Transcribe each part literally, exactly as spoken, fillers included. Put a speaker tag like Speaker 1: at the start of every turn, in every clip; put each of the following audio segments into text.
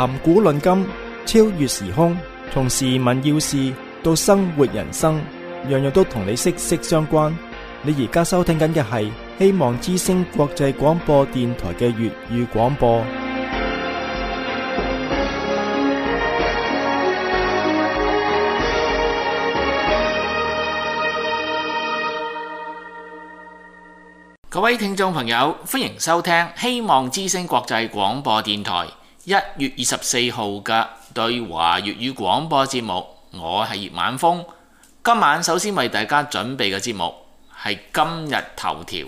Speaker 1: 談古論今，超越時空，從時聞要事到生活人生，樣樣都同你息息相關。你而家收聽緊嘅係希望之聲國際廣播電台嘅粵語廣播。
Speaker 2: 各位聽眾朋友，歡迎收聽希望之聲國際廣播電台一月二十四號嘅對華粵語廣播節目。我係葉晚風，今晚首先為大家準備嘅節目係今日頭條。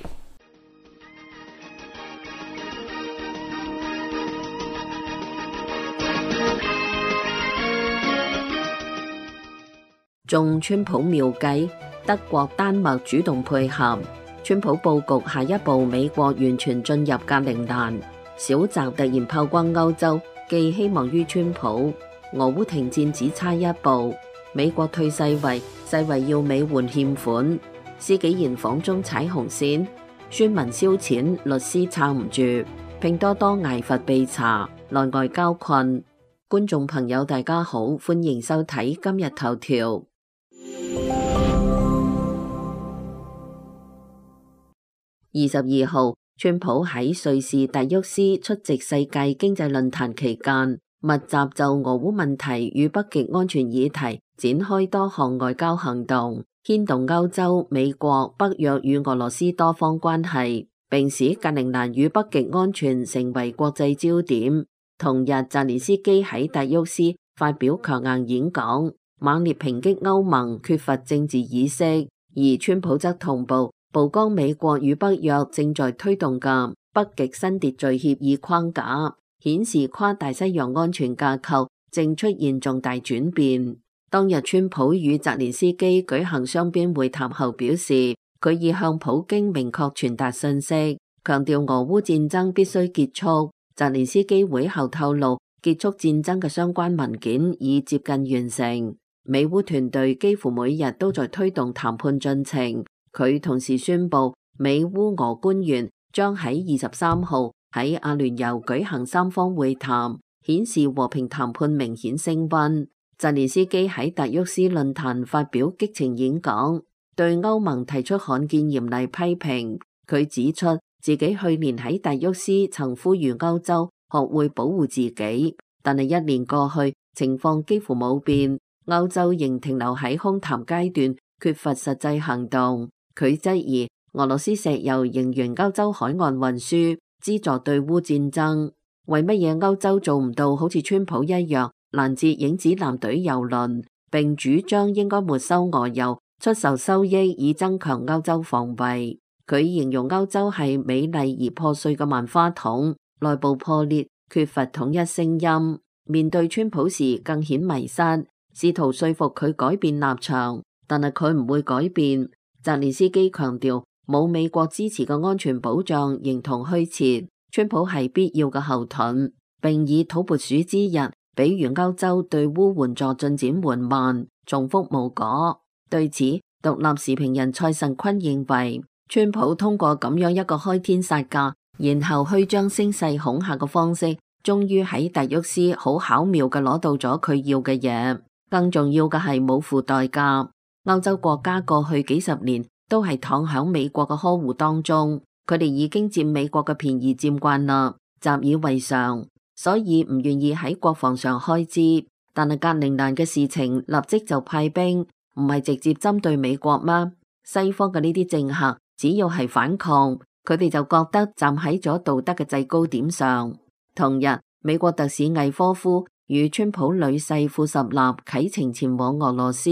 Speaker 3: 中川普妙計，德國、丹麥主動配合。川普佈局下一步，美國完全進入格陵蘭。小澤突然炮轟歐洲，寄希望於川普。俄烏停戰只差一步，美國退世衛，世衛要美援欠款。施紀賢訪中踩紅線，宣文燒錢，律師撐唔住。拼多多挨罰被查，內外交困。觀眾朋友大家好，歡迎收睇今日頭條。二十二號，川普喺瑞士達沃斯出席世界經濟論壇期間，密集就俄烏問題與北極安全議題展開多項外交行動，牽動歐洲、美國、北約與俄羅斯多方關係，並使格陵蘭與北極安全成為國際焦點。同日，澤連斯基喺達沃斯發表強硬演講，猛烈抨擊歐盟缺乏政治意識，而川普則同步曝光美國與北約正在推動嘅北極新秩序協議框架，顯示跨大西洋安全架構正出現重大轉變。當日川普與澤連斯基舉行雙邊會談後表示，佢已向普京明確傳達信息，強調俄烏戰爭必須結束。澤連斯基會後透露，結束戰爭嘅相關文件已接近完成，美烏團隊幾乎每日都在推動談判進程。佢同時宣布，美烏俄官員將喺二十三號喺阿聯酋舉行三方會談，顯示和平談判明顯升溫。澤連斯基喺達沃斯論壇發表激情演講，對歐盟提出罕見嚴厲批評。佢指出自己去年喺達沃斯曾呼籲歐洲學會保護自己，但係一年過去，情況幾乎冇變，歐洲仍停留喺空談階段，缺乏實際行動。佢質疑俄羅斯石油仍沿歐洲海岸運輸，資助對烏戰爭。為乜嘢歐洲做唔到好似川普一樣攔截影子艦隊油輪，並主張應該沒收俄油，出售收益以增強歐洲防衛？佢形容歐洲係美麗而破碎嘅萬花筒，內部破裂，缺乏統一聲音。面對川普時更顯迷失，試圖說服佢改變立場，但係佢唔會改變。澤連斯基強調，冇美國支持嘅安全保障形同虛設，川普係必要嘅後盾，並以土撥鼠之日比喻歐洲對烏援助進展緩慢，重複無果。對此，獨立時評人蔡慎坤認為，川普通過咁樣一個開天殺價，然後虛張聲勢恐嚇嘅方式，終於喺達沃斯好巧妙嘅攞到咗佢要嘅嘢。更重要嘅係冇付代價。歐洲國家過去幾十年都係躺響美國嘅呵護當中，佢哋已經佔美國嘅便宜佔慣啦，習以為常，所以唔願意喺國防上開支。但係格陵蘭嘅事情立即就派兵，唔係直接針對美國嗎？西方嘅呢啲政客只要係反抗，佢哋就覺得站喺咗道德嘅制高點上。同日，美國特使魏科夫與川普女婿庫什納啟程前往俄羅斯，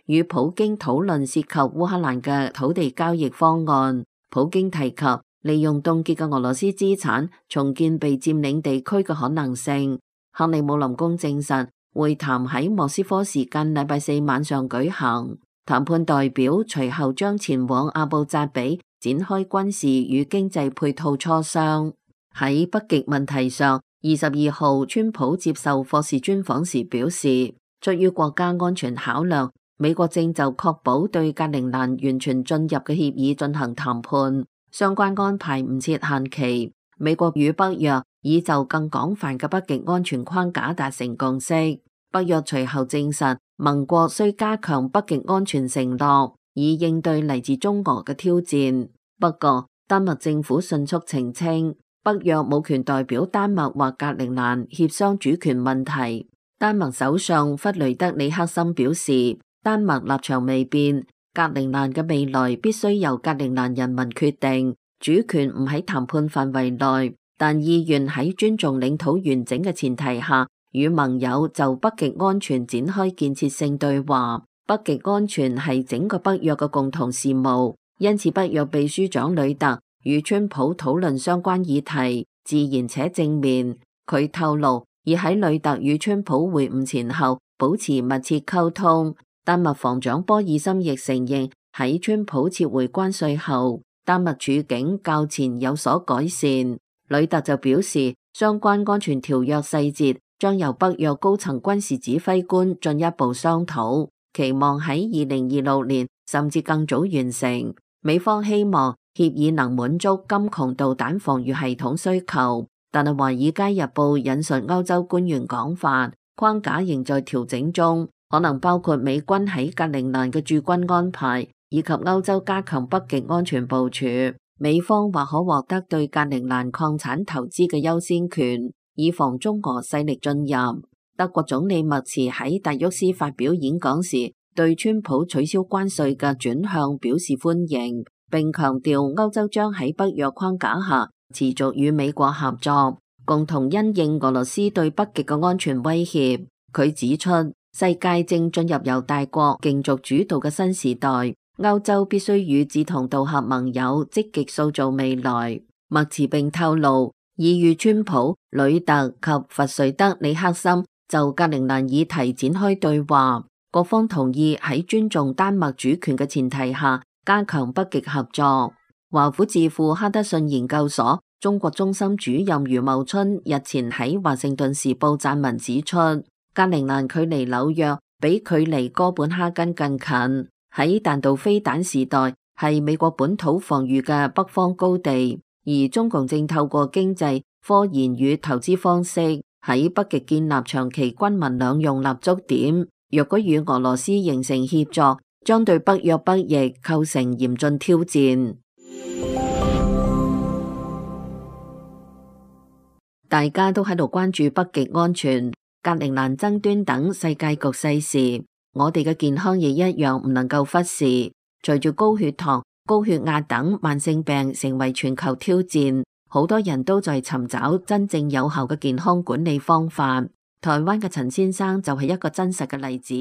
Speaker 3: 與普京討論涉及烏克蘭嘅土地交易方案。普京提及利用凍結嘅俄羅斯資產重建被佔領地區嘅可能性。克里姆林宮證實會談喺莫斯科時間禮拜四晚上舉行，談判代表隨後將前往阿布扎比展開軍事與經濟配套磋商。喺北極問題上，二十二號川普接受霍士專訪時表示，出於國家安全考量，美國正就確保對格陵蘭完全進入嘅協議進行談判，相關安排唔設限期。美國與北約以就更廣泛嘅北極安全框架達成共識。北約隨後證實，盟國需加強北極安全承諾，以應對嚟自中俄嘅挑戰。不過，丹麥政府迅速澄清，北約冇權代表丹麥或格陵蘭協商主權問題。丹麥首相弗雷德里克森表示，丹麥立場未變，格陵蘭嘅未來必須由格陵蘭人民決定，主權唔喺談判範圍內，但意願喺尊重領土完整嘅前提下，與盟友就北極安全展開建設性對話。北極安全係整個北約嘅共同事務，因此北約秘書長呂特與川普討論相關議題，自然且正面。佢透露，已喺呂特與川普會晤前後保持密切溝通。丹麥防長波爾森亦承認，喺川普撤回關稅後，丹麥處境較前有所改善。呂特就表示，相關安全條約細節將由北約高層軍事指揮官進一步商討，期望喺二零二六年甚至更早完成。美方希望協議能滿足金窮導彈防禦系統需求，但係《華爾街日報》引述歐洲官員講法，框架仍在調整中，可能包括美軍喺格陵蘭嘅駐軍安排，以及歐洲加強北極安全部署。美方或可獲得對格陵蘭礦產投資嘅優先權，以防中俄勢力進入。德國總理默茨喺達沃斯發表演講時，對川普取消關稅嘅轉向表示歡迎，並強調歐洲將喺北約框架下持續與美國合作，共同因應俄羅斯對北極嘅安全威脅。佢指出，世界正進入由大國競逐主導嘅新時代，歐洲必須與志同道合盟友積極塑造未來。默茨並透露，已與川普、呂特及弗瑞德里克森就格陵蘭議題展開對話，各方同意喺尊重丹麥主權嘅前提下加強北極合作。華府智庫哈德遜研究所中國中心主任余茂春日前喺華盛頓時報撰文指出，格陵蘭距離紐約比距離哥本哈根更近，喺彈道飛彈時代係美國本土防禦嘅北方高地，而中共正透過經濟、科研與投資方式喺北極建立長期軍民兩用立足點。若果與俄羅斯形成協作，將對北約北翼構成嚴峻挑戰。大家都喺度關注北極安全、格陵蘭爭端等世界局勢時，我哋嘅健康亦一樣唔能夠忽視。隨住高血糖、高血壓等慢性病成為全球挑戰，好多人都在尋找真正有效嘅健康管理方法。台灣嘅陳先生就係一個真實嘅例子。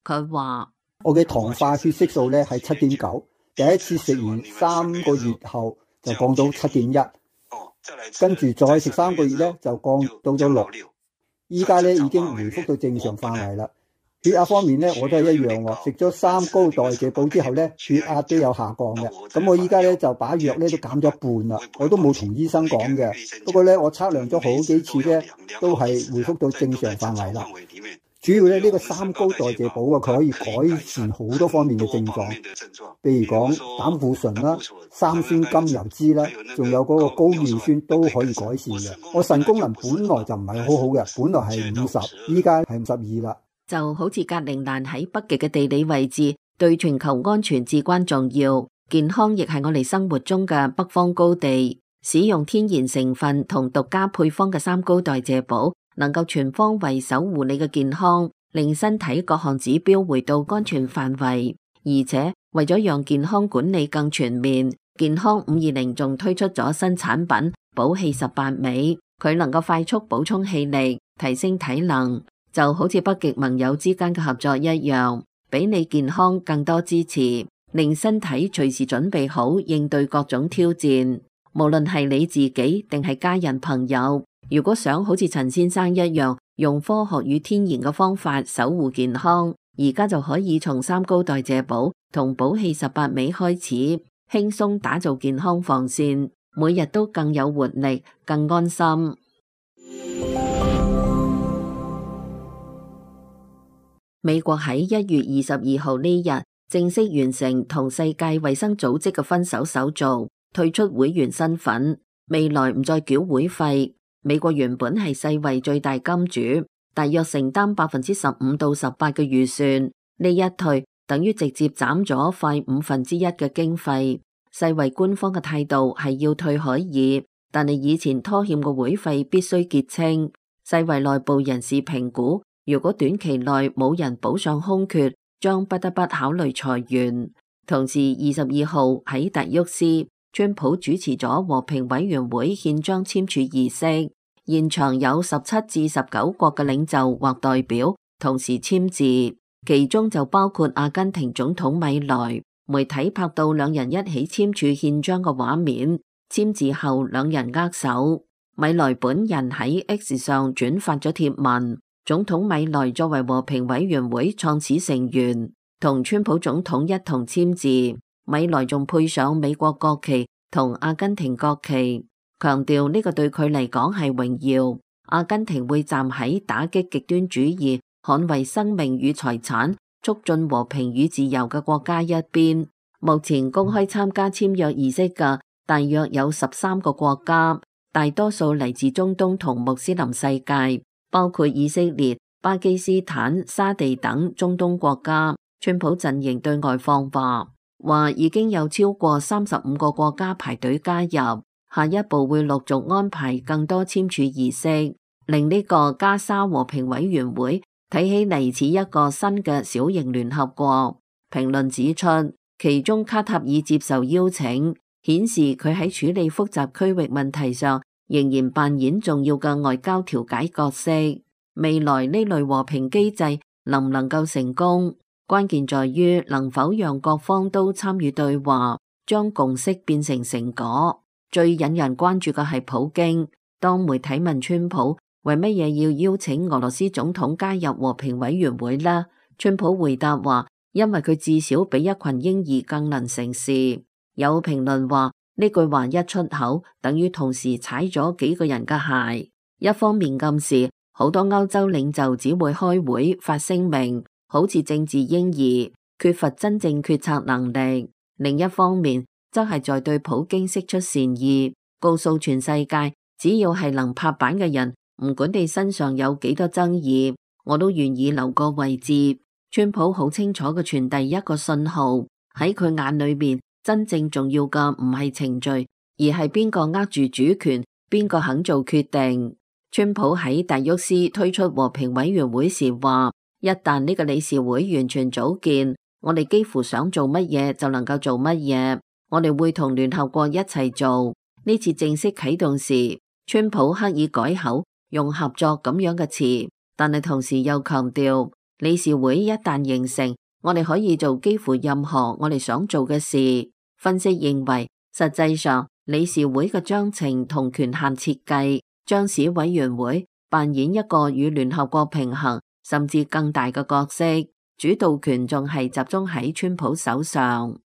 Speaker 3: 佢話：
Speaker 4: 我嘅糖化血色素咧係七點九，第一次食完三個月後就降到七點一。跟住再食三個月咧，就降到咗六。依家咧已經回復到正常範圍啦。血壓方面咧，我都係一樣喎。食咗三高代謝寶之後咧，血壓都有下降嘅。咁我依家咧就把藥咧都減咗一半啦。我都冇同醫生講嘅。不過咧，我測量咗好幾次咧，都係回復到正常範圍啦。主要咧呢個三高代謝寶啊，佢可以改善好多方面嘅症狀，譬如講膽固醇啦、三酸甘油酯啦，仲有嗰個高尿酸都可以改善嘅。我腎功能本來就唔係好好嘅，本來係五十，依家係五十二啦。
Speaker 3: 就好似格陵蘭喺北極嘅地理位置，對全球安全至關重要。健康亦係我哋生活中嘅北方高地。使用天然成分同獨家配方嘅三高代謝寶，能夠全方位守護你嘅健康，令身體各項指標回到安全範圍。而且為咗讓健康管理更全面，健康五二零仲推出咗新產品寶氣十八味，佢能夠快速補充氣力，提升體能，就好似北極盟友之間嘅合作一樣，俾你健康更多支持，令身體隨時準備好應對各種挑戰。無論係你自己定係家人朋友，如果想好似陳先生一樣用科學與天然嘅方法守護健康，而家就可以從三高代謝寶同寶氣十八味開始，輕鬆打造健康防線，每日都更有活力，更安心。美國喺一月二十二號呢日正式完成同世界衛生組織嘅分手手續，退出會員身份，未來唔再繳會費。美國原本係世衛最大金主，大約承擔百分之十五到十八嘅預算，呢一退等於直接斬咗快五分之一嘅經費。世衛官方嘅態度係要退可以，但係以前拖欠嘅會費必須結清。世衛內部人士評估，如果短期內冇人補上空缺，將不得不考慮裁員。同時，二十二號喺達沃斯，川普主持咗和平委員會憲章簽署儀式，現場有十七至十九國嘅領袖或代表同時簽字，其中就包括阿根廷總統米萊。媒體拍到兩人一起簽署憲章嘅畫面，簽字後兩人握手。米萊本人喺 X 上轉發咗貼文，總統米萊作為和平委員會創始成員，同川普總統一同簽字。米萊仲配上美國國旗同阿根廷國旗，強調呢個對佢嚟講係榮耀。阿根廷會站喺打擊極端主義、捍衛生命與財產、促進和平與自由嘅國家一邊。目前公開參加簽約儀式嘅大約有十三個國家，大多數嚟自中東同穆斯林世界，包括以色列、巴基斯坦、沙地等中東國家。川普陣營對外放話，話已經有超過三十五個國家排隊加入，下一步會陸續安排更多簽署儀式，令呢個加沙和平委員會睇起嚟似一個新嘅小型聯合國。評論指出，其中卡塔爾接受邀請，顯示佢喺處理複雜區域問題上仍然扮演重要嘅外交調解角色。未來呢類和平機制能唔能夠成功，關鍵在於能否讓各方都參與對話，將共識變成成果。最引人關注嘅係普京。當媒體問川普為乜嘢要邀請俄羅斯總統加入和平委員會呢？川普回答話，因為佢至少比一群嬰兒更能成事。有評論話，呢句話一出口，等於同時踩咗幾個人嘅鞋。一方面暗示好多歐洲領袖只會開會發聲明，好似政治嬰兒，缺乏真正決策能力。另一方面，則係在對普京釋出善意，告訴全世界，只要係能拍板嘅人，唔管你身上有幾多爭議，我都願意留個位置。川普好清楚嘅傳遞一個信號，喺佢眼裏面，真正重要嘅唔係程序，而係邊個握住主權，邊個肯做決定。川普喺達沃斯推出和平委員會時話，一旦呢個理事會完全組建，我哋幾乎想做乜嘢就能夠做乜嘢，我哋會同聯合國一齊做。呢次正式啟動時，川普刻意改口，用合作咁樣嘅詞，但係同時又強調，理事會一旦形成，我哋可以做幾乎任何我哋想做嘅事。分析認為，實際上理事會嘅章程同權限設計，將使委員會扮演一個與聯合國平衡甚至更大嘅角色，主導權仲係集中喺川普手上。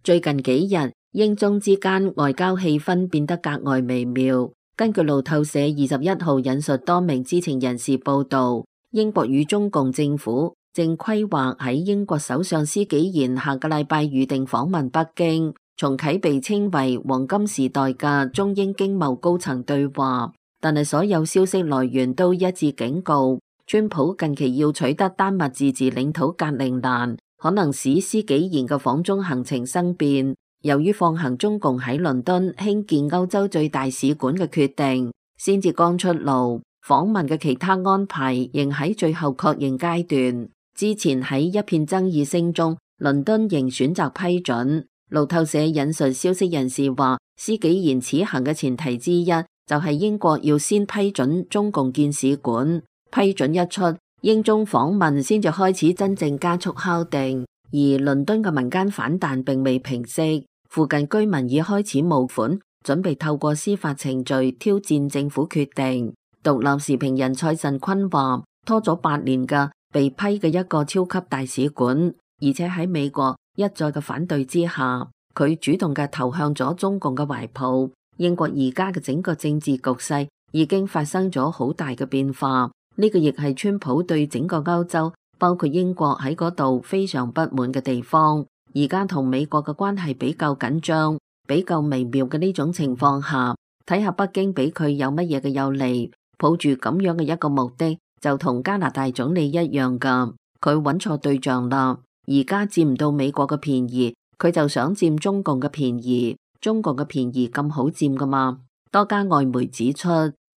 Speaker 3: 最近幾日，英中之間外交氣氛變得格外微妙。根據路透社二十一號引述多名知情人士報道，英國與中共政府正規劃喺英國首相施紀賢下個禮拜預定訪問北京，重啟被稱為黃金時代嘅中英經貿高層對話。但係所有消息來源都一致警告，川普近期要取得丹麥自治領土格陵蘭，可能使施紀賢嘅訪中行程生變。由於放行中共喺倫敦興建歐洲最大使館嘅決定先至剛出爐，訪問嘅其他安排仍喺最後確認階段。之前喺一片爭議聲中，倫敦仍選擇批准。路透社引述消息人士話，施紀賢此行嘅前提之一就係英國要先批准中共建使館，批准一出，英中訪問先至開始真正加速敲定。而倫敦嘅民間反彈並未平息，附近居民已開始募款，準備透過司法程序挑戰政府決定。獨立時評人蔡慎坤話，拖咗八年嘅被批嘅一個超級大使館，而且喺美國一再嘅反對之下，佢主動嘅投向咗中共嘅懷抱。英國而家嘅整個政治局勢已經發生咗好大嘅變化，呢個亦係川普對整個歐洲，包括英國喺嗰度非常不滿嘅地方。而家同美國嘅關係比較緊張，比較微妙嘅呢種情況下，睇下北京俾佢有乜嘢嘅有利，抱住咁樣嘅一個目的，就同加拿大總理一樣噶，佢揾錯對象啦。而家佔唔到美國嘅便宜，佢就想佔中共嘅便宜。中共嘅便宜咁好佔噶嘛？多家外媒指出，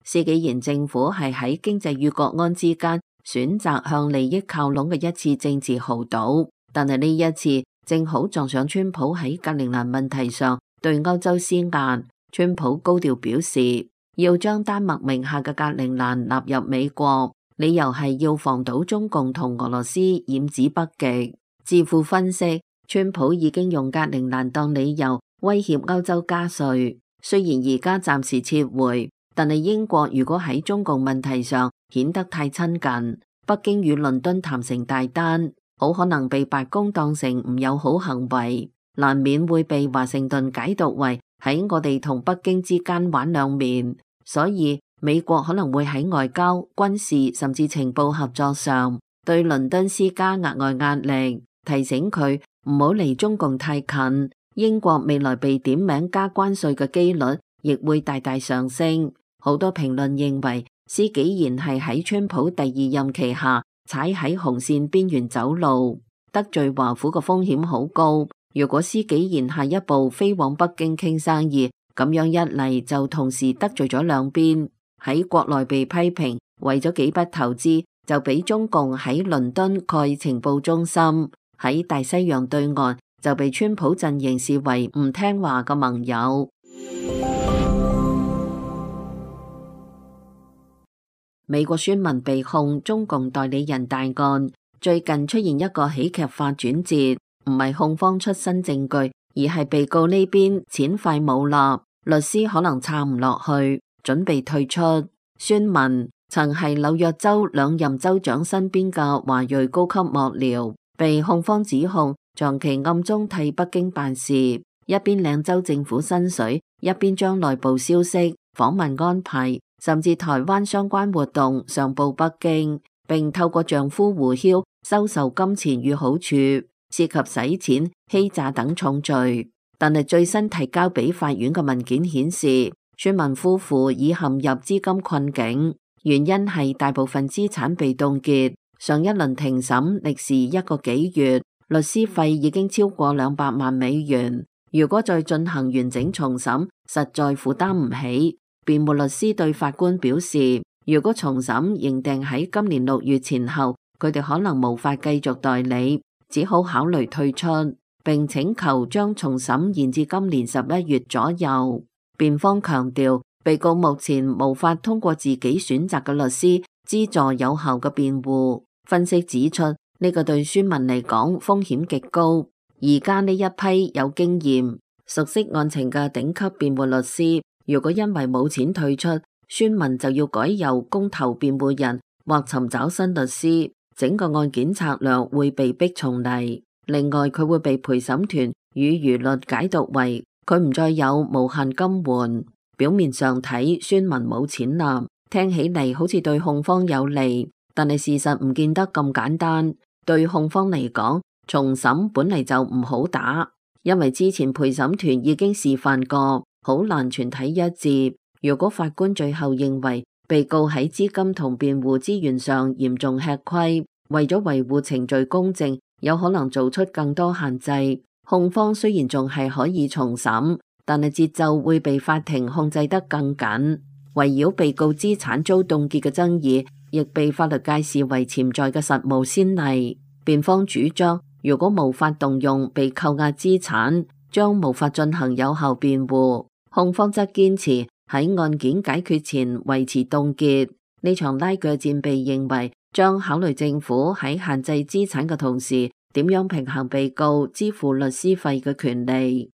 Speaker 3: 施紀賢政府係喺經濟與國安之間選擇向利益靠攏嘅一次政治豪賭，但係呢一次正好撞上川普喺格陵蘭問題上對歐洲施壓。川普高調表示要將丹麥名下嘅格陵蘭納入美國，理由係要防堵中共同俄羅斯染指北極。智庫分析，川普已經用格陵蘭當理由威脅歐洲加稅，雖然而家暫時撤回，但係英國如果喺中共問題上顯得太親近，北京與倫敦談成大單，好可能被白宮當成唔友好行為，難免會被華盛頓解讀為喺我哋同北京之間玩兩面，所以美國可能會喺外交、軍事甚至情報合作上對倫敦施加額外壓力，提醒佢唔好離中共太近。英國未來被點名加關稅嘅機率亦會大大上升。好多評論認為，施紀賢係喺川普第二任期下踩喺紅線邊緣走路，得罪華府嘅風險好高。如果施紀賢下一步飛往北京傾生意，咁樣一嚟就同時得罪咗兩邊，喺國內被批評為咗幾筆投資就俾中共喺倫敦蓋情報中心，喺大西洋對岸就被川普陣營視為唔聽話嘅盟友。美國宣文被控中共代理人大案，最近出現一個喜劇化轉折，唔係控方出新證據，而係被告呢邊錢快冇啦，律師可能撐唔落去，準備退出。宣文曾係紐約州兩任州長身邊嘅華裔高級幕僚，被控方指控長期暗中替北京辦事，一邊領州政府薪水，一邊將內部消息、訪問安排甚至台灣相關活動上報北京，並透過丈夫胡曉收受金錢與好處，涉及洗錢、欺詐等重罪。但係最新提交俾法院嘅文件顯示，宣文夫婦已陷入資金困境，原因係大部分資產被凍結。上一輪庭審歷時一個幾月，律師費已經超過兩百萬美元。如果再進行完整重審，實在負擔唔起。辯護律師對法官表示，如果重審認定喺今年六月前後，佢哋可能無法繼續代理，只好考慮退出，並請求將重審延至今年十一月左右。辯方強調，被告目前無法通過自己選擇嘅律師資助有效嘅辯護。分析指出，呢個對宣文嚟講風險極高。而家呢一批有經驗、熟悉案情嘅頂級辯護律師，如果因為冇錢退出，宣文就要改由公投辯護人或尋找新律師，整個案件策略會被逼重嚟。另外，佢會被陪審團與輿論解讀為佢唔再有無限金援。表面上睇，宣文冇錢啦，聽起嚟好似對控方有利，但係事實唔見得咁簡單。對控方嚟講，重審本嚟就唔好打，因為之前陪審團已經示範過，好難全體一致。如果法官最後認為被告喺資金同辯護資源上嚴重吃虧，為咗維護程序公正，有可能做出更多限制。控方雖然仲係可以重審，但係節奏會被法庭控制得更緊。圍繞被告資產遭凍結嘅爭議，亦被法律界視為潛在嘅實務先例。辯方主張，如果無法動用被扣押資產，將無法進行有效辯護。控方則堅持喺案件解決前維持凍結。呢場拉鋸戰被認為將考慮政府喺限制資產嘅同時，點樣平衡被告支付律師費嘅權利。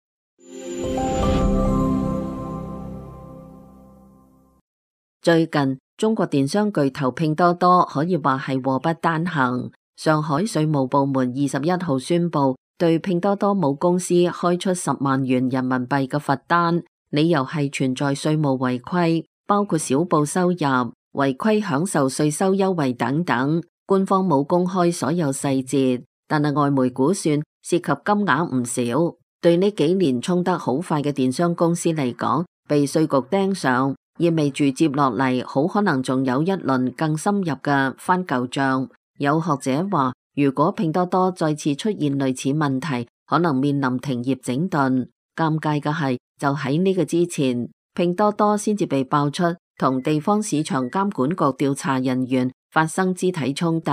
Speaker 3: 最近，中國電商巨頭拼多多可以話係禍不單行。上海稅務部門二十一號宣布，對拼多多母公司開出十萬元人民幣嘅罰單，理由係存在稅務違規，包括少報收入、違規享受稅收優惠等等。官方冇公開所有細節，但係外媒估算涉及金額唔少。對呢幾年衝得好快嘅電商公司嚟講，被稅局盯上，意味住接落嚟好可能仲有一輪更深入嘅翻舊賬。有學者話，如果拼多多再次出現類似問題，可能面臨停業整頓。尷尬嘅係，就喺呢個之前，拼多多先至被爆出同地方市場監管局調查人員發生肢體衝突。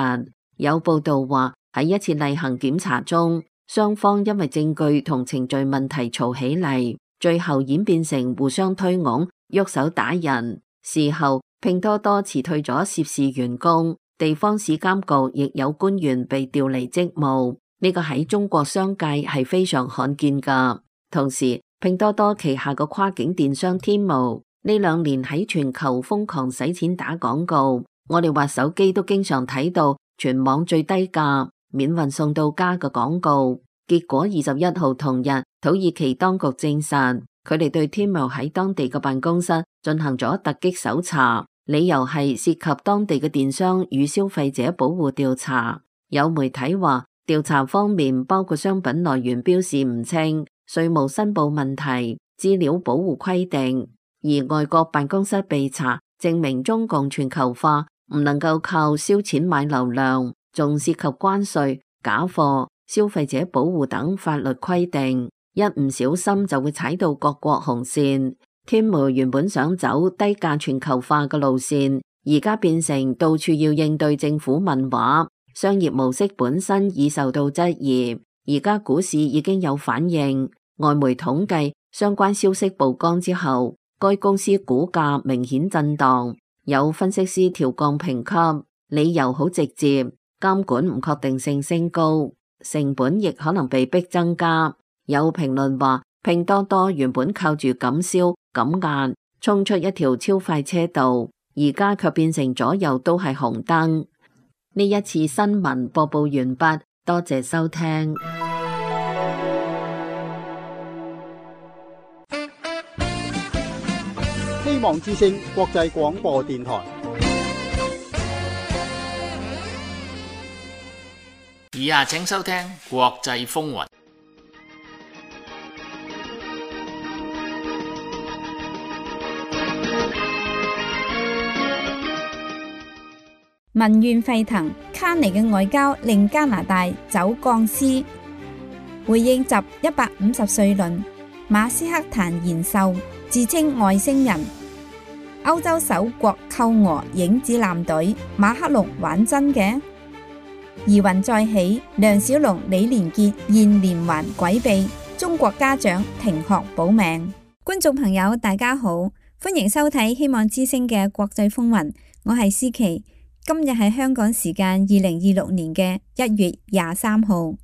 Speaker 3: 有報道話，喺一次例行檢查中，雙方因為證據同程序問題嘈起嚟，最後演變成互相推搪、喐手打人。事後，拼多多辭退咗涉事員工，地方市監局亦有官員被調離職務。呢個喺中國商界係非常罕見噶。同時，拼多多旗下嘅跨境電商天貓呢兩年喺全球瘋狂使錢打廣告，我哋滑手機都經常睇到全網最低價、免運送到家嘅廣告。結果二十一號同日，土耳其當局證實，佢哋對天貓喺當地嘅辦公室進行咗突擊搜查，理由係涉及當地嘅電商與消費者保護調查。有媒體話，調查方面包括商品來源標示唔清、稅務申報問題、資料保護規定。而外國辦公室被查，證明中共全球化唔能夠靠燒錢買流量，仲涉及關稅、假貨、消費者保護等法律規定，一唔小心就會踩到各國紅線。天貓原本想走低價全球化嘅路線，而家變成到處要應對政府問話，商業模式本身已受到質疑。而家股市已經有反應，外媒統計相關消息曝光之後，該公司股價明顯震盪，有分析師調降評級，理由好直接，監管唔確定性升高，成本亦可能被逼增加。有評論話，拼多多原本靠住減銷減壓衝出一條超快車道，而家卻變成左右都係紅燈。呢一次新聞播報完畢，多謝收聽。
Speaker 5: 希望之聲國際廣播電台。
Speaker 2: 以下請收聽國際風雲。
Speaker 6: 民怨沸騰，卡尼嘅外交令加拿大走鋼絲。回應習一百五十歲論，馬斯克談延壽，自稱外星人。歐洲首國扣俄影子艦隊，馬克龍玩真嘅？疑雲再起，梁小龍、李連杰現連環詭秘，中國家長停學保命。觀眾朋友大家好，歡迎收睇希望之聲嘅國際風雲，我係思琪。今日係香港時間二零二六年嘅一月廿三號。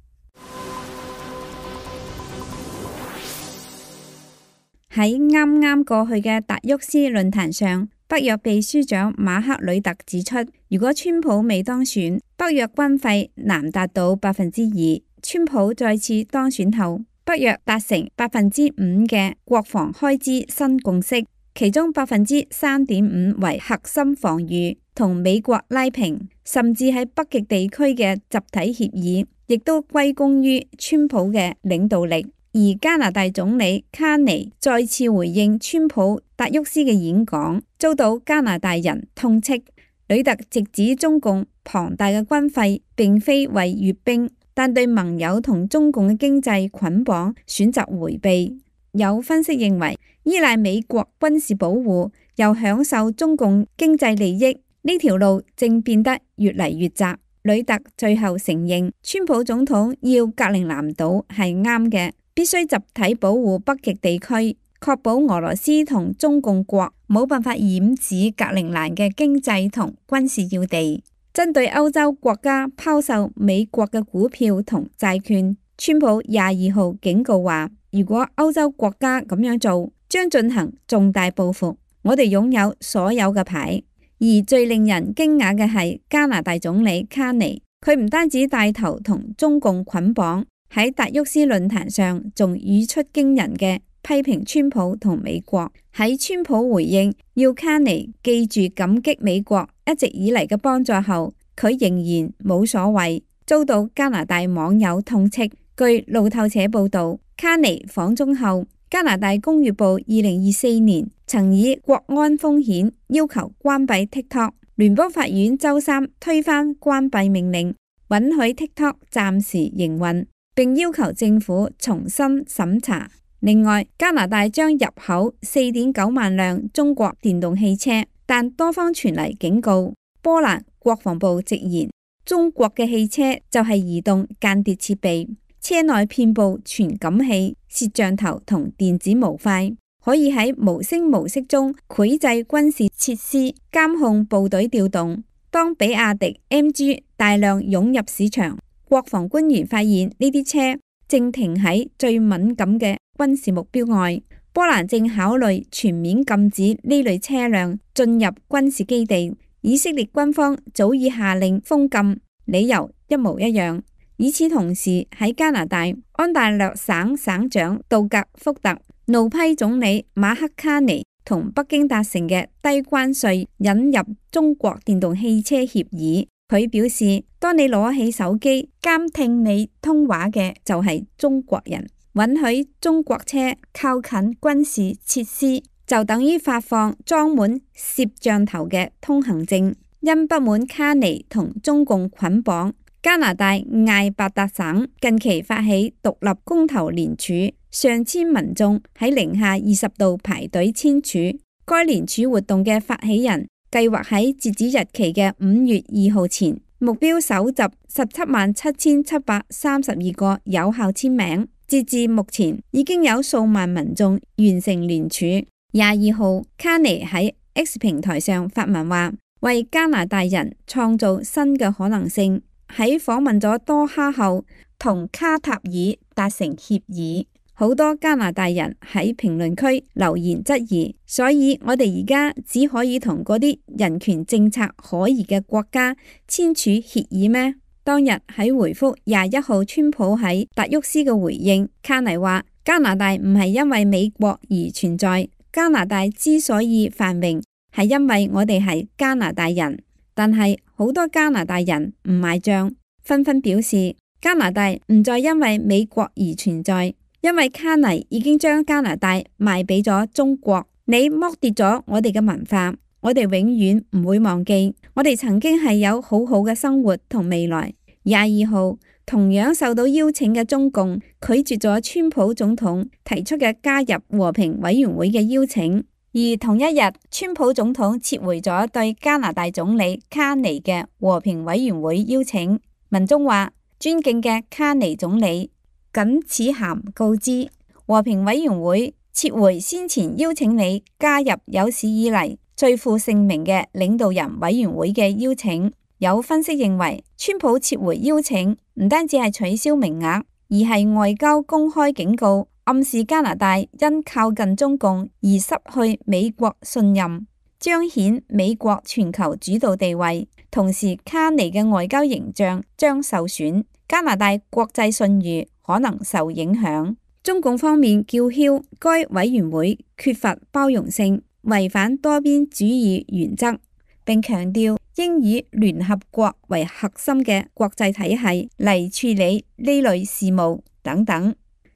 Speaker 6: 喺啱啱過去嘅達沃斯論壇上，北約秘書長馬克呂特指出，如果川普未當選，北約軍費難達到百分之二。川普再次當選後，北約達成百分之五嘅國防開支新共識，其中百分之三點五為核心防禦，同美國拉平，甚至喺北極地區嘅集體協議，亦都歸功於川普嘅領導力。而加拿大總理卡尼再次回應川普達沃斯嘅演講，遭到加拿大人痛斥。呂特直指中共龐大嘅軍費並非為閱兵，但對盟友同中共嘅經濟捆綁選擇迴避。有分析認為，依賴美國軍事保護又享受中共經濟利益，呢條路正變得越嚟越窄。呂特最後承認，川普總統要格陵蘭島係啱嘅，必須集體保護北極地區，確保俄羅斯同中共國冇辦法染指格陵蘭嘅經濟同軍事要地。針對歐洲國家拋售美國嘅股票同債券，川普廿二號警告話，如果歐洲國家咁樣做，將進行重大報復。我哋擁有所有嘅牌。而最令人驚訝嘅係加拿大總理卡尼，佢唔單止帶頭同中共捆綁，喺達沃斯論壇上仲語出驚人嘅批評川普同美國。喺川普回應要卡尼記住感激美國一直以嚟嘅幫助後，佢仍然冇所謂，遭到加拿大網友痛斥。據路透社報道，卡尼訪中後，加拿大工業部二零二四年曾以國安風險要求關閉 TikTok， 聯邦法院周三推翻關閉命令，允許 TikTok 暫時營運，並要求政府重新審查。另外，加拿大將入口 四點九萬輛中國電動汽車，但多方傳嚟警告。波蘭國防部直言，中國嘅汽車就係移動間諜設備，車內遍佈傳感器、攝像頭同電子模塊，可以喺無聲無息中繪製軍事設施，監控部隊調動。當比亞迪 M G 大量湧入市場，國防官員發現呢啲車正停喺最敏感嘅軍事目標外。波蘭正考慮全面禁止呢類車輛進入軍事基地。以色列軍方早已下令封禁，理由一模一樣。與此同時，喺加拿大，安大略省省長杜格福特怒批總理馬克卡尼同北京達成嘅低關稅引入中國電動汽車協議。佢表示，當你攞起手機監聽你通話嘅就係中國人，允許中國車靠近軍事設施，就等於發放裝滿攝像頭嘅通行證。因不滿卡尼同中共捆綁，加拿大艾伯達省近期發起獨立公投聯署，上千民眾喺零下二十度排隊簽署。該聯署活動嘅發起人計劃喺截止日期嘅五月二號前，目標搜集十七萬七千七百三十二個有效簽名。截至目前，已經有數萬民眾完成聯署。廿二號，卡尼喺 X 平台上發文話，為加拿大人創造新嘅可能性。喺訪問咗多哈後，同卡塔爾達成協議。好多加拿大人喺評論區留言質疑，所以我哋而家只可以同嗰啲人權政策可疑嘅國家簽署協議咩？當日喺回覆廿一號川普喺達沃斯嘅回應，卡尼話加拿大唔係因為美國而存在。加拿大之所以繁榮，係因為我哋係加拿大人，但係好多加拿大人唔買賬，紛紛表示加拿大唔再因為美國而存在，因為卡尼已經將加拿大賣俾咗中國。你剝奪咗我哋嘅文化，我哋永遠唔會忘記，我哋曾經係有好好嘅生活同未來。廿二號，同樣受到邀請嘅中共拒絕咗川普總統提出嘅加入和平委員會嘅邀請，而同一日，川普總統撤回咗對加拿大總理卡尼嘅和平委員會邀請。文中話，尊敬嘅卡尼總理，謹此函告知，和平委員會撤回先前邀請你加入有史以嚟最負盛名嘅領導人委員會嘅邀請。有分析認為，川普撤回邀請唔單止係取消名額，而係外交公開警告，暗示加拿大因靠近中共而失去美國信任，彰顯美國全球主導地位。同時，卡尼嘅外交形象將受損，加拿大國際信譽可能受影響。中共方面叫囂該委員會缺乏包容性，違反多邊主義原則，並強調應以聯合國為核心嘅國際體系嚟處理呢類事務等等。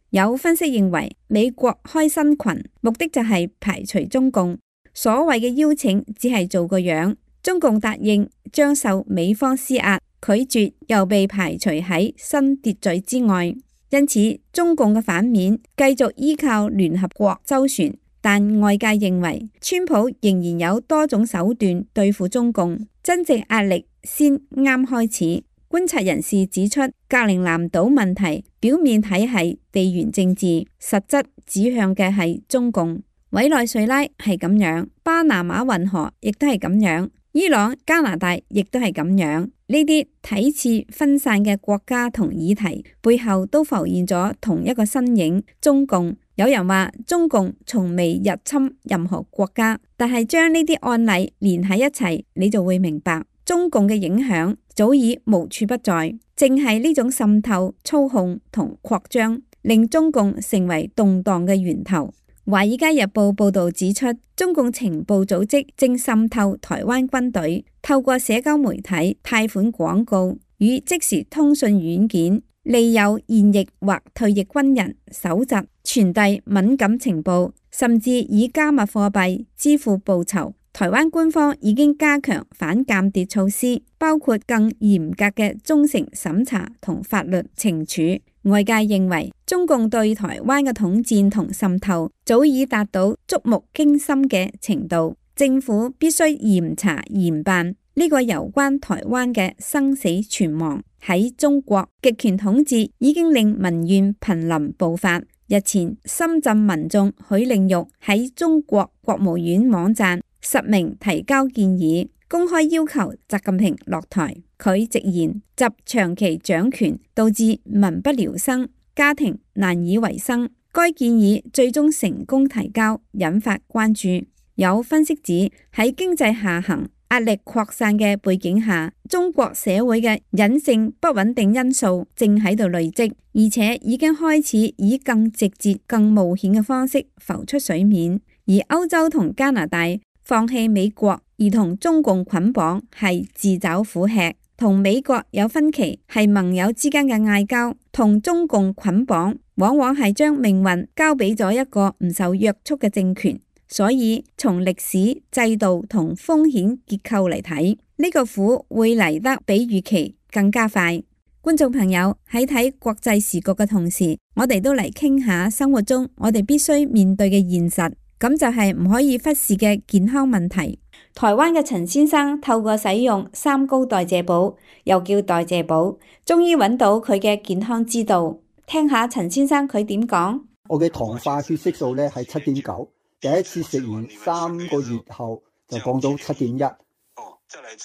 Speaker 6: 有分析認為，美國開新群目的就係排除中共，所謂嘅邀請只係做個樣，中共答應將受美方施壓，拒絕又被排除喺新秩序之外。因此，中共嘅反面繼續依靠聯合國周旋。但外界認為，川普仍然有多種手段對付中共，真正壓力先啱開始。觀察人士指出，格陵蘭島問題表面睇係地緣政治，實質指向嘅係中共。委內瑞拉係咁樣，巴拿馬運河亦都係咁樣，伊朗、加拿大亦都係咁樣。呢啲睇似分散嘅國家同議題背後都浮現咗同一個身影：中共。有人話中共從未入侵任何國家，但係將呢啲案例連喺一齊，你就會明白中共嘅影響早已無處不在。正係呢種滲透、操控同擴張，令中共成為動盪嘅源頭。華爾街日報報道指出，中共情報組織正滲透台灣軍隊，透過社交媒體、貸款廣告與即時通訊軟件利誘現役或退役軍人搜集、傳遞敏感情報，甚至以加密貨幣支付報酬。台灣官方已經加強反間諜措施，包括更嚴格嘅忠誠審查同法律懲處。外界認為中共對台灣嘅統戰同滲透早已達到觸目驚心嘅程度，政府必須嚴查嚴辦呢個有關台灣嘅生死存亡。喺中國，極權統治已經令民怨瀕臨爆發。日前，深圳民眾許令玉喺中國國務院網站實名提交建議，公開要求習近平落台。佢直言，習長期掌權導致民不聊生，家庭難以維生。該建議最終成功提交，引發關注。有分析指，喺經濟下行、壓力擴散嘅背景下，中國社會嘅隱性不穩定因素正喺度累積，而且已經開始以更直接、更冒險嘅方式浮出水面。而歐洲同加拿大放棄美國而同中共捆綁係自找苦吃，同美國有分歧係盟友之間嘅嗌交，同中共捆綁往往係將命運交俾咗一個唔受約束嘅政權。所以從歷史、制度同風險結構嚟睇，呢個苦會嚟得比預期更加快。觀眾朋友，喺睇國際時局嘅同時，我哋都嚟傾下生活中我哋必須面對嘅現實，咁就係唔可以忽視嘅健康問題。台灣嘅陳先生透過使用三高代謝寶，又叫代謝寶，終於揾到佢嘅健康之道。聽下陳先生佢點講。
Speaker 4: 我嘅糖化血色素咧係七點九。第一次食完三個月後就降到七點一，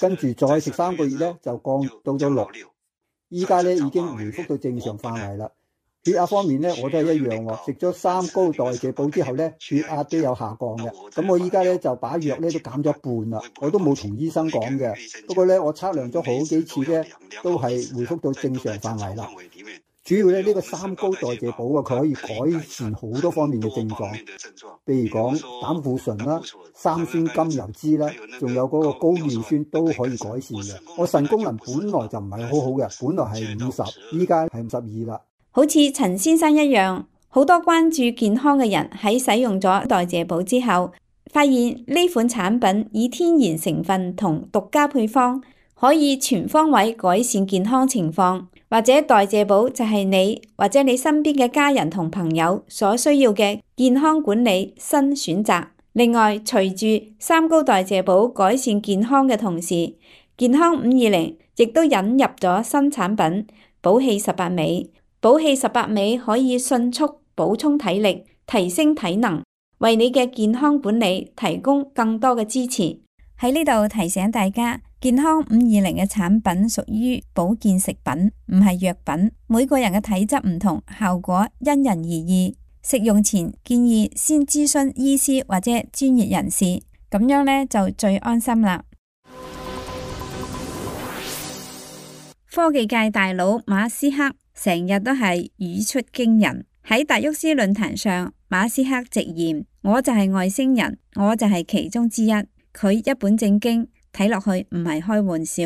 Speaker 4: 跟住再食三個月咧就降到咗六，依家咧已經回復到正常範圍啦。血壓方面咧我都係一樣喎，食咗三高代謝寶之後咧血壓都有下降嘅。咁我依家咧就把藥咧都減咗一半啦，我都冇同醫生講嘅。不過咧我測量咗好幾次咧都係回復到正常範圍啦。主要咧呢個三高代謝寶啊，佢可以改善好多方面嘅症狀，譬如講膽固醇啦、三酸甘油酯啦，仲有嗰個高尿酸都可以改善嘅。我腎功能本來就唔係好好嘅，本來係五十，依家係五十二啦。
Speaker 6: 好似陳先生一樣，好多關注健康嘅人喺使用咗代謝寶之後，發現呢款產品以天然成分同獨家配方，可以全方位改善健康情況。或者代謝寶就係你或者你身邊嘅家人同朋友所需要嘅健康管理新選擇。另外，隨住三高代謝寶改善健康嘅同時，健康五二零亦都引入咗新產品寶氣十八味。寶氣十八味可以迅速補充體力，提升體能，為你嘅健康管理提供更多嘅支持。喺呢度提醒大家，健康五二零嘅產品屬於保健食品，唔係藥品。每個人嘅體質唔同，效果因人而異。食用前建議先諮詢醫師或者專業人士，咁樣呢就最安心啦。科技界大佬馬斯克成日都係語出驚人。喺達沃斯論壇上，馬斯克直言：我就係外星人，我就係其中之一。佢一本正經，睇落去唔係開玩笑。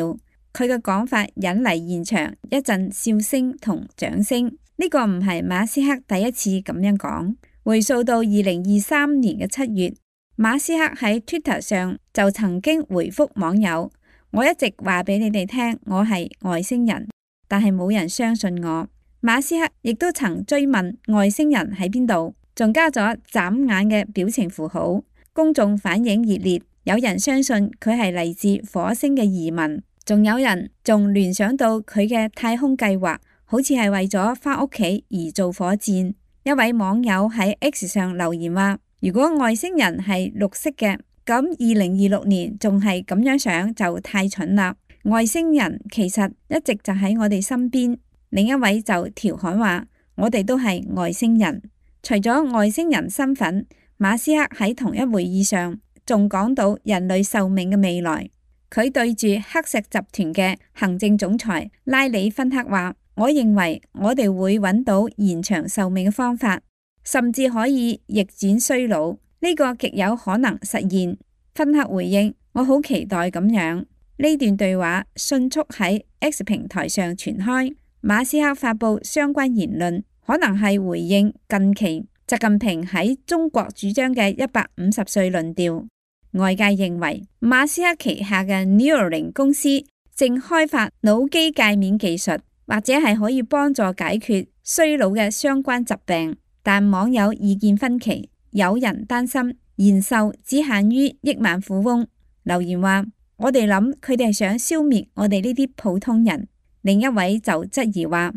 Speaker 6: 佢嘅講法引嚟現場一陣笑聲同掌聲。呢個唔係馬斯克第一次咁樣講。回溯到二零二三年嘅七月，馬斯克喺 Twitter 上就曾經回覆網友：我一直話俾你哋聽，我係外星人，但係冇人相信我。馬斯克亦都曾追問外星人喺邊度，仲加咗眨眼嘅表情符號。公眾反應熱烈。有人相信佢係嚟自火星嘅移民，仲有人仲聯想到佢嘅太空計劃，好似係為咗返屋企而造火箭。一位網友喺 X 上留言話：如果外星人係綠色嘅，咁二零二六年仲係咁樣想就太蠢啦。外星人其實一直就喺我哋身邊。另一位就調侃話：我哋都係外星人。除咗外星人身份，馬斯克喺同一會議上仲講到人類壽命嘅未來。佢對住黑石集團嘅行政總裁拉里芬克話：我認為我哋會揾到延長壽命嘅方法，甚至可以逆轉衰老，呢個極有可能實現。芬克回應：我好期待咁樣。呢段對話迅速喺 X 平台上傳開，馬斯克發布相關言論，可能係回應近期習近平喺中國主張嘅一百五十歲論調。外界認為馬斯克旗下嘅 Neuralink 公司正開發腦機界面技術，或者係可以幫助解決衰老嘅相關疾病。但網友意見分歧，有人擔心延壽只限於億萬富翁。留言話：我哋諗佢哋係想消滅我哋呢啲普通人。另一位就質疑話：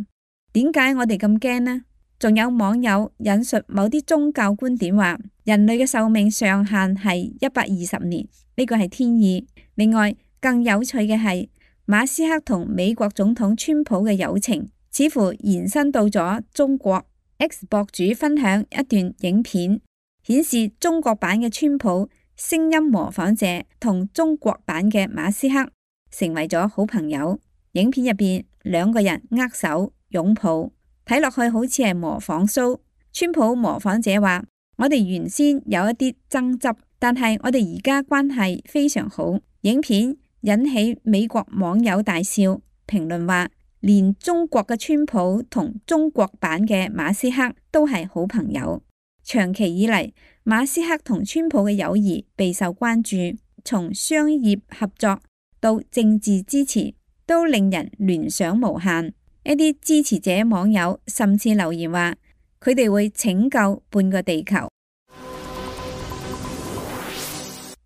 Speaker 6: 點解我哋咁驚呢？仲有網友引述某啲宗教觀點話，人類嘅壽命上限係一百二十年，呢個係天意。另外，更有趣嘅係馬斯克同美國總統川普嘅友情，似乎延伸到咗中國。X 博主分享一段影片，顯示中國版嘅川普聲音模仿者同中國版嘅馬斯克成為咗好朋友。影片入邊兩個人握手擁抱，睇落去好似係模仿 show。川普模仿者話：我哋原先有一啲爭執，但係我哋而家關係非常好。影片引起美國網友大笑，評論話連中國嘅川普同中國版嘅馬斯克都係好朋友。長期以嚟，馬斯克同川普嘅友誼備受關注，從商業合作到政治支持，都令人聯想無限。一啲支持者網友甚至留言話，佢哋會拯救半個地球。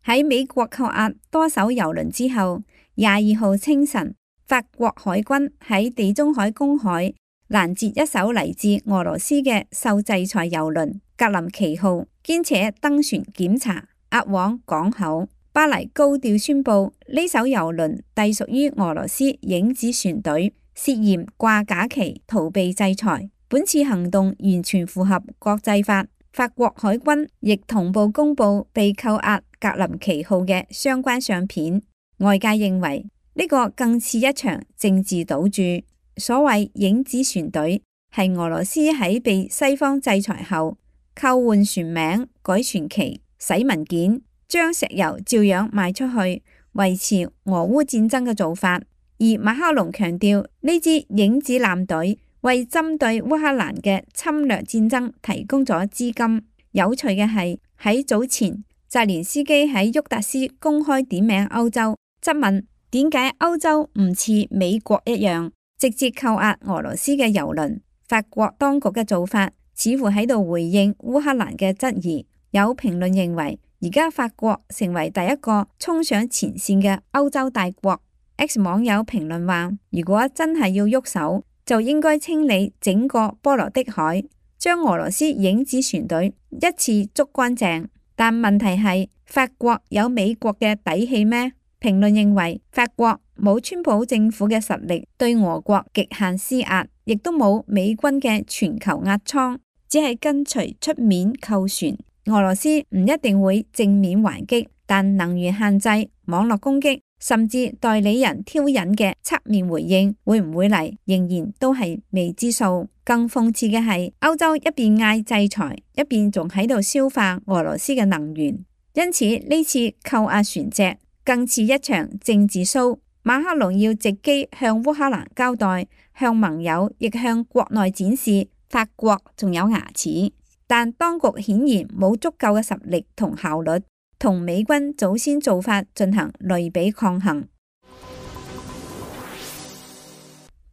Speaker 6: 喺美國扣押多艘油輪之後，廿二號清晨，法國海軍喺地中海公海攔截一艘嚟自俄羅斯嘅受制裁油輪格林奇號，兼且登船檢查，押往港口。巴黎高調宣布呢艘油輪隸屬於俄羅斯影子船隊，涉嫌掛假旗逃避制裁。本次行動完全符合國際法。法國海軍亦同步公布被扣押格林奇號嘅相關相片。外界認為呢個更似一場政治賭注。所謂影子船隊係俄羅斯喺被西方制裁後扣換船名、改船旗、洗文件、將石油照樣賣出去，維持俄烏戰爭嘅做法。而馬克龍強調呢支影子艦隊為針對烏克蘭嘅侵略戰爭提供咗資金。有趣嘅係喺早前，澤連斯基喺沃達斯公開點名歐洲，質問點解歐洲唔似美國一樣直接扣押俄羅斯嘅油輪。法國當局嘅做法似乎喺度回應烏克蘭嘅質疑。有評論認為，而家法國成為第一個衝上前線嘅歐洲大國。X 網友評論話，如果真係要喐手，就應該清理整個波羅的海，將俄羅斯影子船隊一次捉乾淨。但問題係，法國有美國嘅底氣咩？評論認為，法國冇川普政府嘅實力對俄國極限施壓，亦都冇美軍嘅全球壓艙，只係跟隨出面扣船。俄羅斯唔一定會正面還擊，但能源限制、網絡攻擊，甚至代理人挑釁嘅側面回應會唔會嚟，仍然都係未知數。更諷刺嘅係，歐洲一邊嗌制裁，一邊仲喺度消化俄羅斯嘅能源。因此呢次扣押船隻更似一場政治 show。馬克龍要藉機向烏克蘭交代，向盟友亦向國內展示法國仲有牙齒。但當局顯然冇足夠嘅實力同效率，同美軍早先做法進行類比抗衡。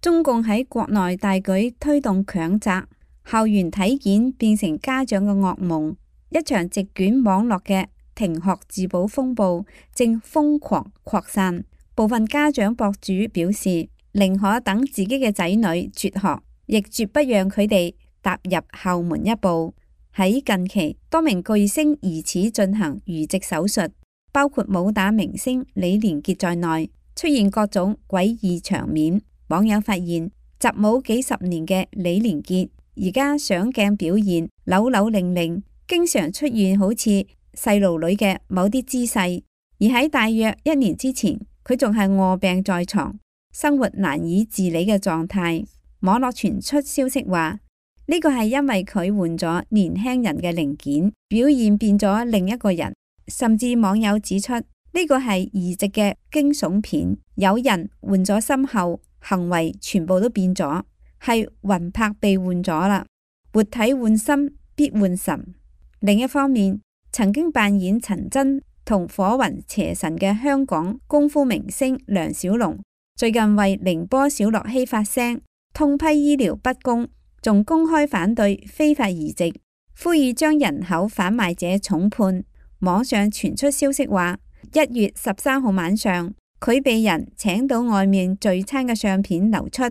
Speaker 6: 中共喺國內大舉推動強摘，校園體檢變成家長嘅噩夢。一場席捲網絡嘅停學自保風暴正瘋狂擴散。部分家長博主表示，寧可等自己嘅仔女輟學，亦絕不讓佢哋踏入校門一步。喺近期，多名巨星疑似進行移植手術，包括武打明星李連杰在內，出現各種詭異場面。網友發現，習武幾十年嘅李連杰，而家上鏡表現扭扭擰擰，經常出現好似細路女嘅某啲姿勢。而喺大約一年之前，佢仲係臥病在床，生活難以自理嘅狀態。網絡傳出消息話，呢個係因為佢換咗年輕人嘅零件，表現變咗另一個人。甚至網友指出，呢個係移植嘅驚悚片，有人換咗心後，行為全部都變咗。係魂魄被換咗啦，活體換心必換神。另一方面，曾經扮演陳真同火雲邪神嘅香港功夫明星梁小龍，最近為寧波小樂熙發聲，痛批醫療不公，仲公開反對非法移植，呼籲將人口販賣者重判。網上傳出消息話，一月十三號晚上，佢被人請到外面聚餐嘅相片流出，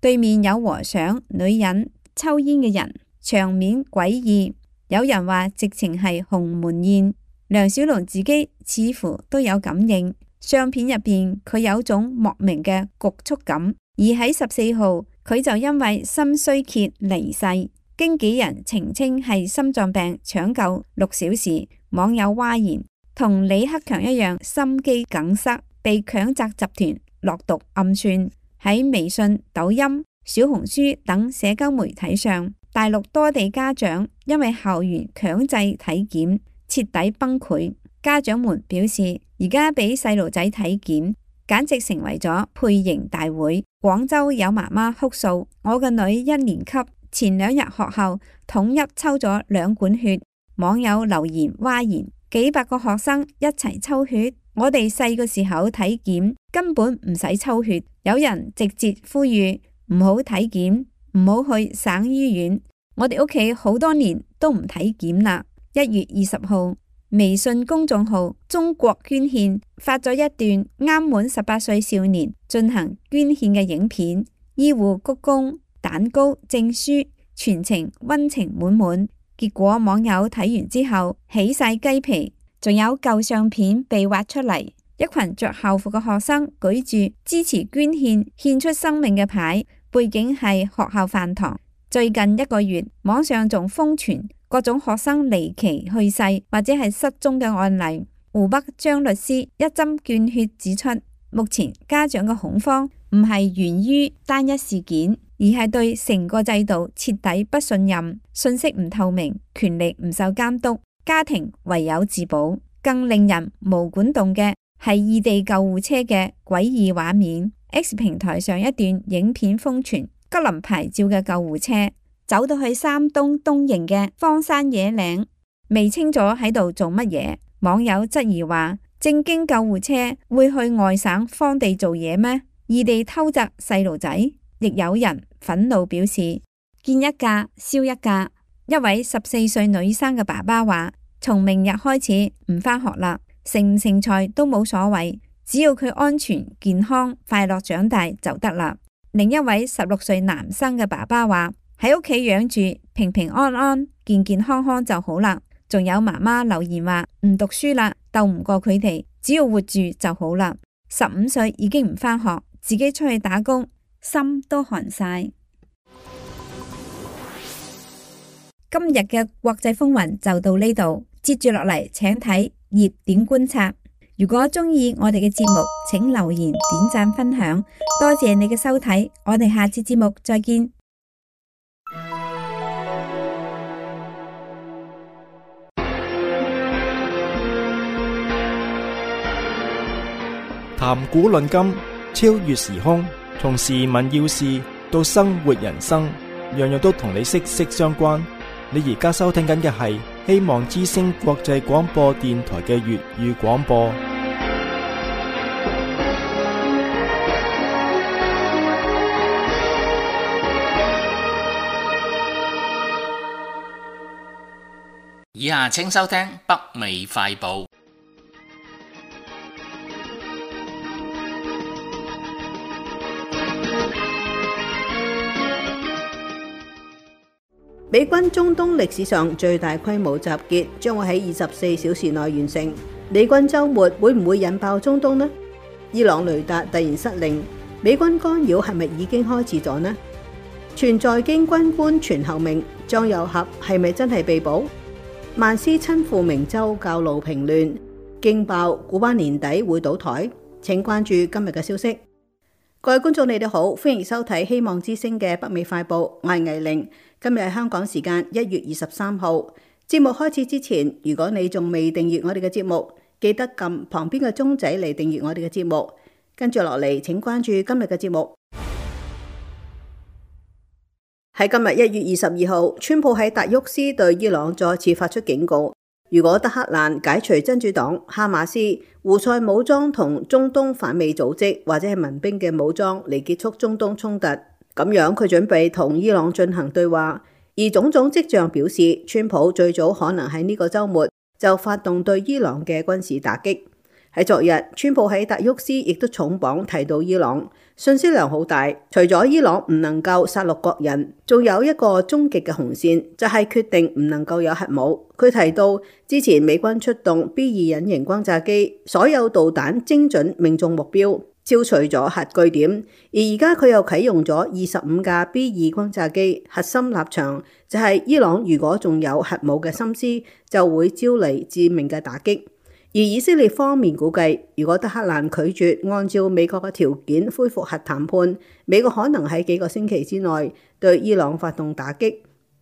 Speaker 6: 對面有和尚、女人、抽煙嘅人，場面詭異。有人話直情係鴻門宴。梁小龍自己似乎都有感應，相片入邊佢有種莫名嘅局促感。而喺十四號，佢就因為心衰竭離世，經紀人澄清係心臟病搶救六小時。網友嘩然，同李克強一樣心肌梗塞，被強責集團落毒暗算。喺微信、抖音、小紅書等社交媒體上，大陸多地家長因為校園強制體檢徹底崩潰。家長們表示，而家俾細路仔體檢簡直成為咗配型大會。廣州有媽媽哭訴，我個女一年級前兩日學校統一抽咗兩管血。網友留言嘩然，幾百個學生一齊抽血，我哋細個時候體檢根本唔使抽血。有人直接呼籲唔好體檢，唔好去省醫院。我哋屋企好多年都唔體檢啦。一月二十號，微信公眾號中國捐獻發咗一段啱滿十八歲少年進行捐獻嘅影片，醫護鞠躬、蛋糕、證書，全程溫情滿滿。結果網友睇完之後起晒雞皮，仲有舊相片被挖出嚟，一群着校服嘅學生舉住支持捐獻、獻出生命嘅牌，背景係學校飯堂。最近一個月，網上仲瘋傳各種學生離奇去世或者係失蹤嘅案例。湖北張律師一針見血指出，目前家長嘅恐慌唔係源於單一事件，而係對成個制度徹底不信任，信息唔透明，權力唔受監督，家庭唯有自保。更令人毛管動嘅係異地救護車嘅詭異畫面。X 平台上一段影片瘋傳，吉林牌照嘅救護車走到去山東東營嘅荒山野嶺，未清楚喺度做乜嘢。網友質疑話，正經救護車會去外省荒地做嘢咩？異地偷襲細路仔？亦有人憤怒表示，見一架燒一架。一位十四歲女生嘅爸爸話，從明日開始唔返學啦，成唔成才都冇所謂，只要佢安全健康快樂長大就得啦。另一位十六歲男生嘅爸爸話，喺屋企養住平平安安健健康康就好啦。仲有媽媽留言話，唔讀書啦，鬥唔過佢哋，只要活住就好啦。十五歲已經唔返學，自己出去打工，心都寒晒。今日嘅國際風雲就到呢度，接住落嚟請睇熱點觀察。如果鍾意我哋嘅節目，請留言、點讚、分享，多謝你嘅收睇，我哋下次節目再見。
Speaker 1: 談古論今，超越時空，從時聞要事到生活人生，樣樣都同你息息相關。你而家收聽緊嘅係希望之聲國際廣播電台嘅粵語廣播。
Speaker 2: 以下請收聽北美快報。
Speaker 7: 美軍中東歷史上最大規模集結將會喺二十四小時內完成。美軍週末會唔會引爆中東呢？伊朗雷達突然失靈，美軍干擾係咪已經開始咗呢？全在京軍官傳後命，張又俠係咪真係被捕？曼斯親赴明州教路平亂，驚爆古巴年底會倒台。請關注今日嘅消息。各位觀眾，你哋好，歡迎收睇希望之聲嘅北美快報，我係倪玲。今日係香港時間一月二十三號。節目開始之前，如果你仲未訂閱我哋嘅節目，記得撳旁邊嘅鐘仔嚟訂閱我哋嘅節目。跟住落嚟，請關注今日嘅節目。喺今日一月二十二號，川普喺達沃斯對伊朗再次發出警告，如果德黑蘭解除真主黨、哈馬斯、胡塞武裝同中東反美組織或者係民兵嘅武裝嚟結束中東衝突，咁樣佢準備同伊朗進行對話。而種種跡象表示，川普最早可能喺呢個週末就發動對伊朗嘅軍事打擊。喺昨日，川普喺達沃斯亦都重磅提到伊朗，信息量好大。除咗伊朗唔能夠殺戮國人，仲有一個終極嘅紅線，就係決定唔能夠有核武。佢提到之前美軍出動 B 二隱形轟炸機，所有導彈精準命中目標，消除咗核據點。而而家佢又啟用咗二十五架 B 二轟炸機，核心立場就係伊朗如果仲有核武嘅心思，就會招嚟致命嘅打擊。而以色列方面估計，如果德黑蘭拒絕按照美國嘅條件恢復核談判，美國可能喺幾個星期之內對伊朗發動打擊。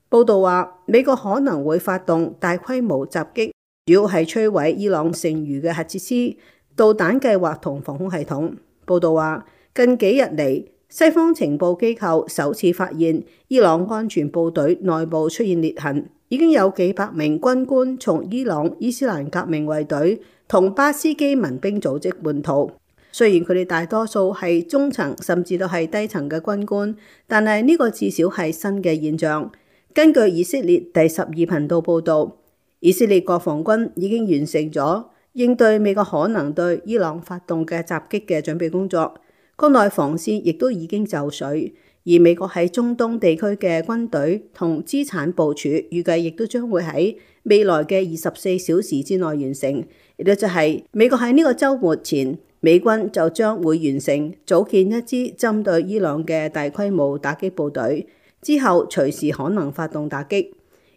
Speaker 7: 報道話，美國可能會發動大規模襲擊，主要係摧毀伊朗剩餘嘅核設施、導彈計劃同防空系統。報道話，近幾日嚟，西方情報機構首次發現伊朗安全部隊內部出現裂痕。已經有幾百名軍官從伊朗伊斯蘭革命衛隊同巴斯基民兵組織叛逃。雖然佢哋大多數係中層甚至都係低層嘅軍官，但係呢個至少係新嘅現象。根據以色列第十二頻道報導，以色列國防軍已經完成咗應對美國可能對伊朗發動嘅襲擊嘅準備工作，國內防線亦都已經就緒。而美國喺中東地區嘅軍隊同資產部署，預計亦都將會喺未來嘅二十四小時之內完成。亦都就係美國喺呢個週末前，美軍就將會完成組建一支針對伊朗嘅大規模打擊部隊，之後隨時可能發動打擊。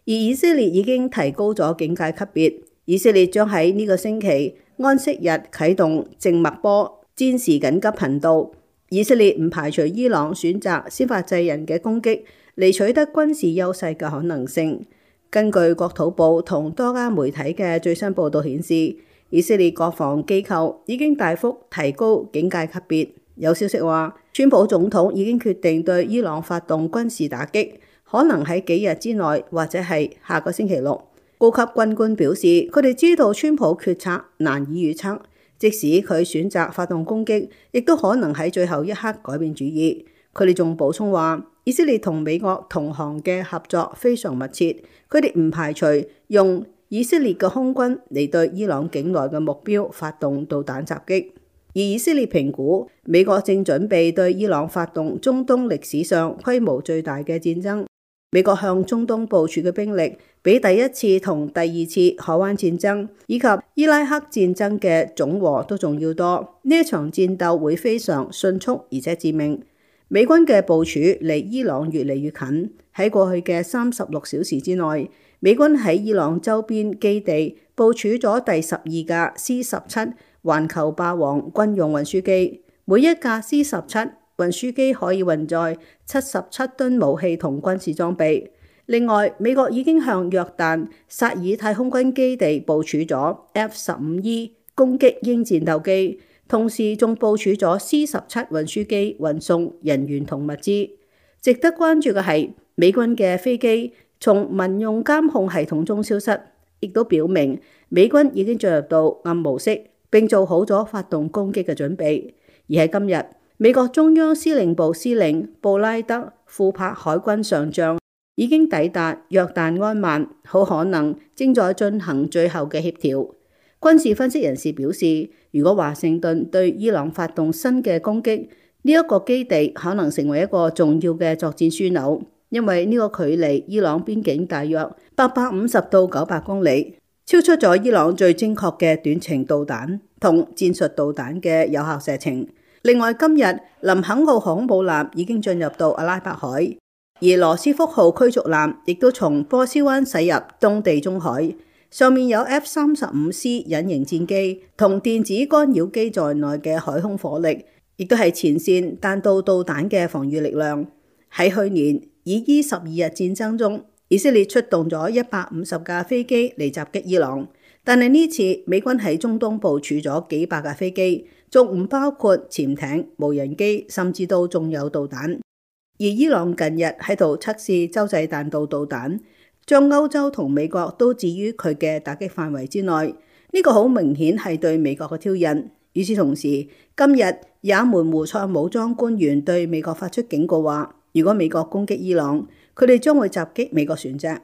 Speaker 7: 而以色列已經提高咗警戒級別，以色列將喺呢個星期安息日啟動靜脈波戰時緊急頻道。以色列唔排除伊朗選擇先發制人嘅攻擊嚟取得軍事優勢嘅可能性。根據國土部同多家媒體嘅最新報導顯示，以色列國防機構已經大幅提高警戒級別。有消息話，川普總統已經決定對伊朗發動軍事打擊，可能喺幾日之內或者係下個星期六。高級軍官表示，佢哋知道川普決策難以預測。即使佢選擇發動攻擊，亦都可能喺最後一刻改變主意。佢哋仲補充話，以色列同美國同行嘅合作非常密切，佢哋唔排除用以色列嘅空軍嚟對伊朗境內嘅目標發動導彈襲擊。而以色列評估，美國正準備對伊朗發動中東歷史上規模最大嘅戰爭。美國向中東部署嘅兵力，比第一次同第二次海灣戰爭以及伊拉克戰爭嘅總和都仲要多。呢一場戰鬥會非常迅速而且致命。美軍嘅部署離伊朗越嚟越近。喺過去嘅三十六小時之內，美軍喺伊朗周邊基地部署咗第十二架 C 十七環球霸王軍用運輸機，每一架 C 十七運輸機可以運載七十七噸武器同軍事裝備。另外，美國已經向約旦薩爾太空軍基地部署咗 F 十五 E 攻擊鷹戰鬥機，同時仲部署咗 C 十七運輸機運送人員同物資。值得關注嘅係，美軍嘅飛機從民用監控系統中消失，亦都表明美軍已經進入到暗模式，並做好咗發動攻擊嘅準備。而喺今日，美國中央司令部司令布拉德庫珀海軍上將已經抵達約旦安曼，好可能正在進行最後嘅協調。軍事分析人士表示，如果華盛頓對伊朗發動新嘅攻擊，呢一個基地可能成為一個重要嘅作戰樞紐，因為呢個距離伊朗邊境大約八百五十到九百公里，超出咗伊朗最精確嘅短程導彈同戰術導彈嘅有效射程。另外，今日林肯號航母艦已經進入到阿拉伯海，而羅斯福號驅逐艦亦都從波斯灣駛入東地中海，上面有 F 三十五 C 隱形戰機同電子干擾機在內嘅海空火力，亦都係前線彈道導彈嘅防禦力量。喺去年以伊十二日戰爭中，以色列出動咗一百五十架飛機嚟襲擊伊朗，但係呢次美軍喺中東部署咗幾百架飛機，仲唔包括潛艇、無人機，甚至到仲有導彈。而伊朗近日喺度測試洲際彈道導彈，將歐洲同美國都置於佢嘅打擊範圍之內。呢個好明顯係對美國嘅挑釁。與此同時，今日也門胡塞武裝官員對美國發出警告話，如果美國攻擊伊朗，佢哋將會襲擊美國船隻。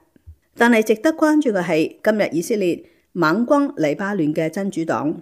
Speaker 7: 但係值得關注嘅係，今日以色列猛轟黎巴嫩嘅真主黨，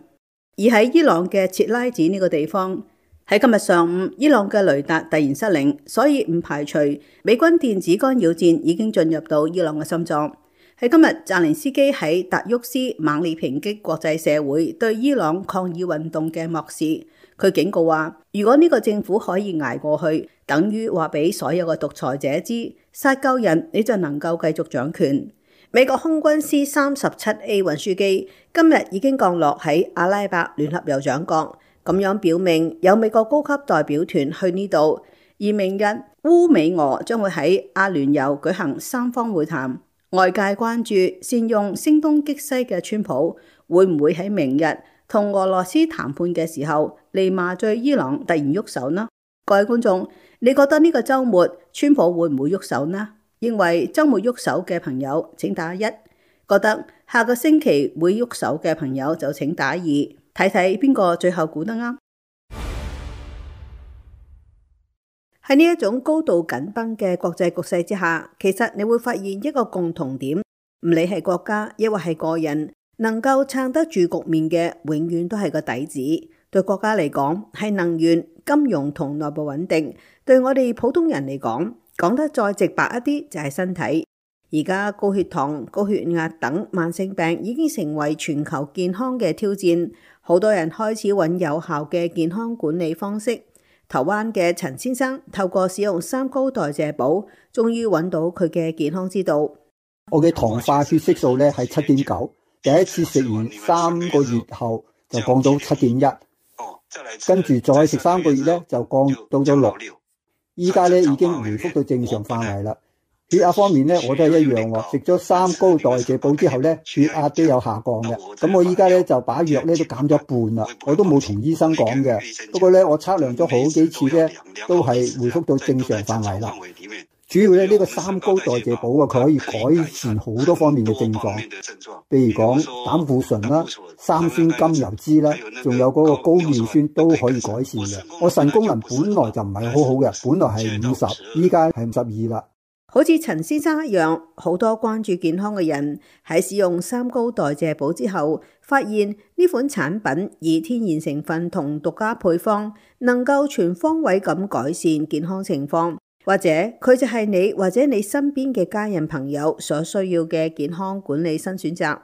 Speaker 7: 而喺伊朗嘅切拉子呢個地方，喺今日上午，伊朗嘅雷達突然失靈，所以唔排除美軍電子干擾戰已經進入到伊朗嘅心臟。喺今日，澤連斯基喺達沃斯猛烈抨擊國際社會對伊朗抗議運動嘅漠視。佢警告話，如果呢個政府可以捱過去，等於話俾所有嘅獨裁者知，殺夠人你就能夠繼續掌權。美國空軍 C 三十七 A 運輸機今日已經降落喺阿拉伯聯合酋長國，咁樣表明有美國高級代表團去呢度。而明日烏美俄將會喺阿聯酋舉行三方會談。外界關注善用聲東擊西嘅川普會唔會喺明日同俄羅斯談判嘅時候嚟麻醉伊朗突然喐手呢？各位觀眾，你覺得呢個週末川普會唔會喐手呢？認為週末喐手嘅朋友請打一，覺得下個星期會喐手嘅朋友就請打二，睇睇邊個最後估得啱。喺呢一種高度緊繃嘅國際局勢之下，其實你會發現一個共同點，唔理係國家抑或係個人，能夠撐得住局面嘅，永遠都係個底子。對國家嚟講係能源、金融同內部穩定；對我哋普通人嚟講，講得再直白一啲就係身體。而家高血糖、高血壓等慢性病已經成為全球健康嘅挑戰，好多人開始揾有效嘅健康管理方式。台灣嘅陳先生透過使用三高代謝寶，終於揾到佢嘅健康之道。
Speaker 4: 我嘅糖化血色素咧係七點九，第一次食完三個月後就降到七點一，跟住再食三個月咧就降到咗六，依家咧已經回復到正常範圍啦。血壓方面咧，我都係一樣喎。食咗三高代謝寶之後咧，血壓都有下降嘅。咁我依家咧就把藥咧都減咗一半啦。我都冇同醫生講嘅。不過咧，我測量咗好幾次咧，都係回復到正常範圍啦。主要咧呢個三高代謝寶啊，佢可以改善好多方面嘅症狀，譬如講膽固醇啦、三酸甘油酯啦，仲有嗰個高尿酸都可以改善嘅。我腎功能本來就唔係好好嘅，本來係五十，依家係五十二啦。
Speaker 7: 好似陳先生一樣，好多關注健康嘅人喺使用三高代謝寶之後，發現呢款產品以天然成分同獨家配方，能夠全方位咁改善健康情況，或者佢就係你或者你身邊嘅家人朋友所需要嘅健康管理新選擇。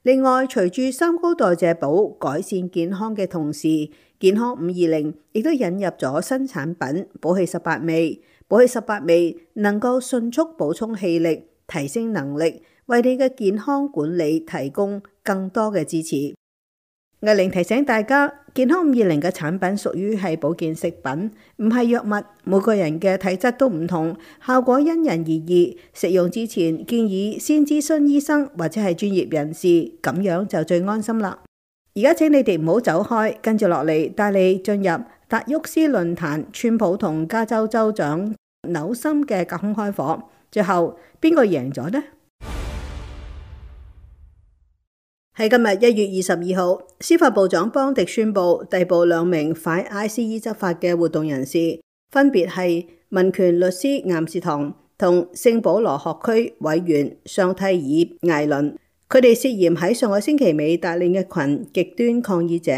Speaker 7: 另外，隨住三高代謝寶改善健康嘅同時，健康五二零亦都引入咗新產品寶氣十八味。寶氣十八味能夠迅速補充氣力，提升能力，為你嘅健康管理提供更多嘅支持。藝玲提醒大家，健康五二零嘅產品屬於係保健食品，唔係藥物。每個人嘅體質都唔同，效果因人而異。食用之前建議先諮詢醫生或者係專業人士，咁樣就最安心啦。而家請你哋唔好走開，跟住落嚟帶你進入達沃斯論壇，川普同加州州長紐森嘅隔空開火，最後邊個贏咗呢？喺今日一月二十二號，司法部長邦迪宣布逮捕兩名反 I C E 執法嘅活動人士，分別係民權律師岩士堂同聖保羅學區委員尚蒂爾艾倫。佢哋涉嫌喺上個星期尾帶領一群極端抗議者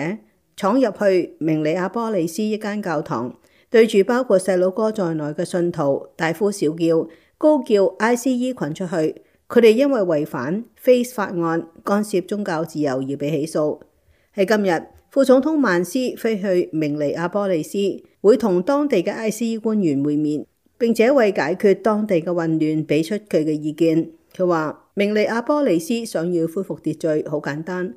Speaker 7: 闖入去明尼阿波利斯一間教堂，對住包括細佬哥在內嘅信徒大呼小叫，高叫 I C E 群出去。佢哋因為違反 Face 法案干涉宗教自由而被起訴。喺今日，副總統曼斯飛去明尼阿波利斯，會同當地嘅 I C E 官員會面，並且為解決當地嘅混亂俾出佢嘅意見。佢話明尼阿波利斯想要恢復秩序，好簡單，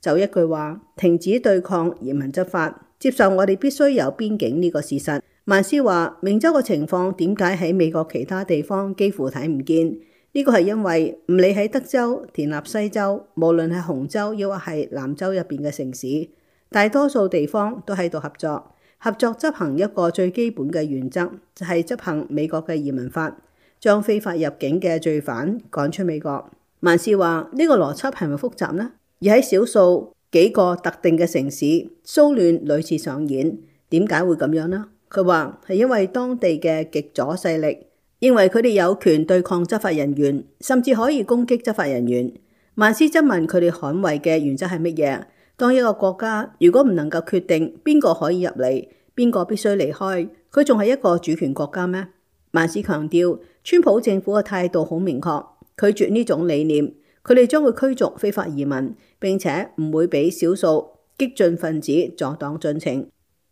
Speaker 7: 就一句話：停止對抗嚴民執法，接受我哋必須有邊境呢個事實。曼斯話明州嘅情況點解喺美國其他地方幾乎睇唔見？呢個係因為唔理喺德州、田納西州，無論係紅州抑或係南州入邊嘅城市，大多數地方都喺度合作。合作執行一個最基本嘅原則，就係執行美國嘅移民法，將非法入境嘅罪犯趕出美國。曼斯話呢個邏輯係咪複雜呢？而喺少數幾個特定嘅城市，騷亂屢次上演，點解會咁樣呢？佢話係因為當地嘅極左勢力認為佢哋有權對抗執法人員，甚至可以攻擊執法人員。曼斯質問佢哋捍衛嘅原則係乜嘢？當一個國家如果唔能夠決定邊個可以入嚟，邊個必須離開，佢仲係一個主權國家咩？曼斯強調，川普政府嘅態度好明確，拒絕呢種理念。佢哋將會驅逐非法移民，並且唔會俾少數激進分子阻擋進程。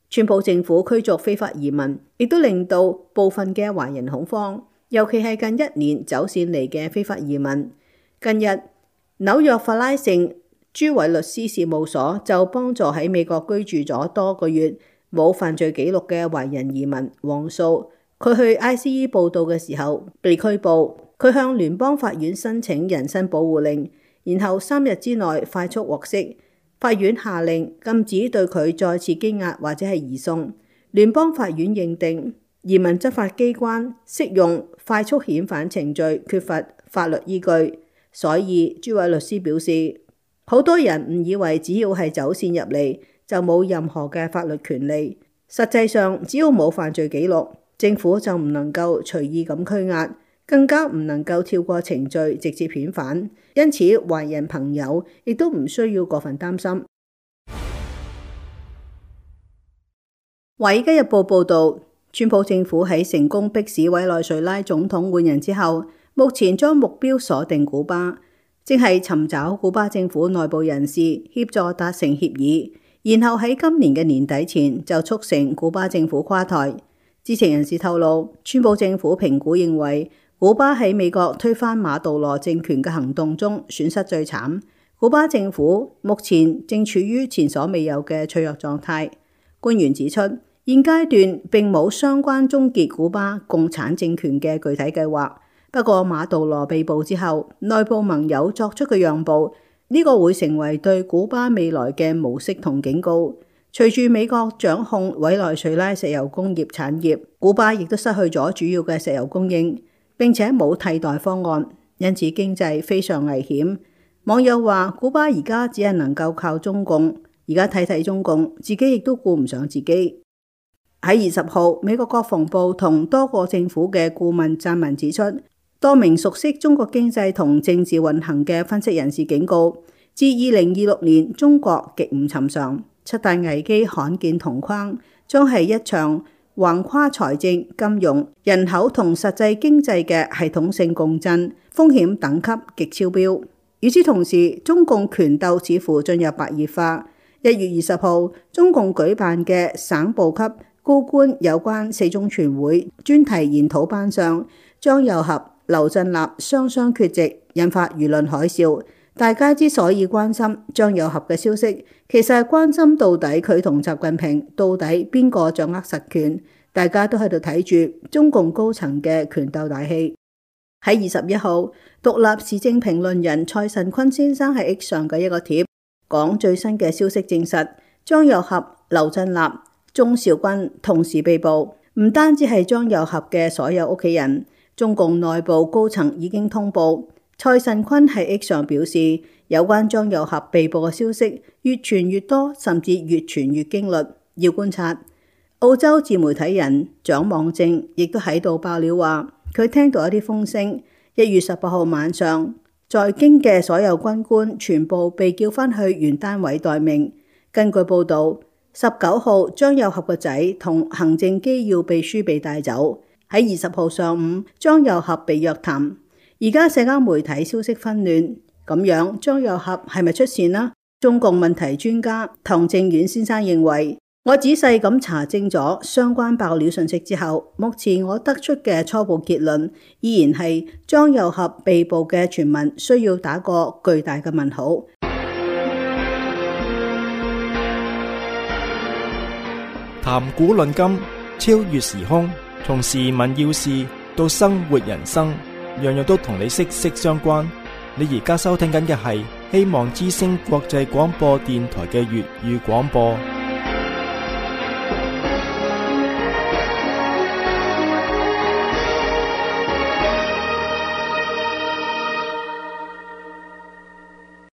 Speaker 7: 川普政府驅逐非法移民，亦都令到部分嘅華人恐慌，尤其係近一年走線嚟嘅非法移民。近日，紐約法拉盛朱偉律師事務所就幫助喺美國居住咗多個月冇犯罪記錄嘅華人移民黃素，佢去 I C E 報到嘅時候被拘捕，佢向聯邦法院申請人身保護令，然後三日之內快速獲釋。法院下令禁止對佢再次羈押或者係移送。聯邦法院認定移民執法機關適用快速遣返程序缺乏法律依據。所以朱偉律師表示，好多人誤以為只要係走線入嚟就冇任何嘅法律權利，實際上只要冇犯罪記錄，政府就唔能夠隨意咁拘押，更加唔能夠跳過程序直接遣返。因此華人朋友亦都唔需要過分擔心。華爾街日報報道，川普政府喺成功迫使委內瑞拉總統換人之後，目前將目標鎖定古巴，正係尋找古巴政府內部人士協助達成協議，然後喺今年嘅年底前就促成古巴政府垮台。知情人士透露，川普政府評估認為，古巴喺美國推翻馬杜羅政權嘅行動中損失最慘，古巴政府目前正處於前所未有嘅脆弱狀態。官員指出，現階段並冇相關終結古巴共產政權嘅具體計劃。不過馬杜羅被捕之後，內部盟友作出嘅讓步，呢個會成為對古巴未來嘅模式同警告。隨住美國掌控委內瑞拉石油工業產業，古巴亦都失去咗主要嘅石油供應，並且冇替代方案，因此經濟非常危險。網友話，古巴而家只係能夠靠中共，而家睇睇中共，自己亦都顧唔上自己。喺二十號，美國國防部同多個政府嘅顧問撰文指出，多名熟悉中國經濟同政治運行嘅分析人士警告，自二零二六年中國極唔尋常，七大危機罕見同框，將係一場橫跨財政、金融、人口同實際經濟嘅系統性共振，風險等級極超標。與此同時，中共權鬥似乎進入白熱化。一月二十號，中共舉辦嘅省部級高官有關四中全會專題研討班上，張又俠、劉振立雙雙缺席，引發輿論海嘯。大家之所以關心張又俠嘅消息，其實係關心到底佢同習近平到底邊個掌握實權。大家都喺度睇住中共高層嘅權鬥大戲。喺二十一號，獨立時政評論人蔡慎坤先生喺 X 上嘅一個貼，講最新嘅消息證實，張又俠、劉振立、鍾兆軍同時被捕。唔單止係張又俠嘅所有屋企人，中共內部高層已經通報。蔡慎坤喺 X 上表示，有關張又俠被捕嘅消息越傳越多，甚至越傳越驚慄，要觀察。澳洲自媒體人蔣望正亦都喺度爆料話，佢聽到一啲風聲，一月十八號晚上，在京嘅所有軍官全部被叫返去原單位待命。根據報道，十九號張又俠個仔同行政機要秘書被帶走。喺二十號上午，張又俠被約談。而家社交媒體消息紛亂，咁樣張又俠係咪出事呢？中共問題專家唐正遠先生認為，我仔細咁查證咗相關爆料信息之後，目前我得出嘅初步結論依然係張又俠被捕嘅傳聞需要打個巨大嘅問號。
Speaker 1: 談古論今，超越時空，從時聞要事到生活人生，樣樣都同你息息相關。你而家收聽緊嘅係希望之聲國際廣播電台嘅粵語廣播。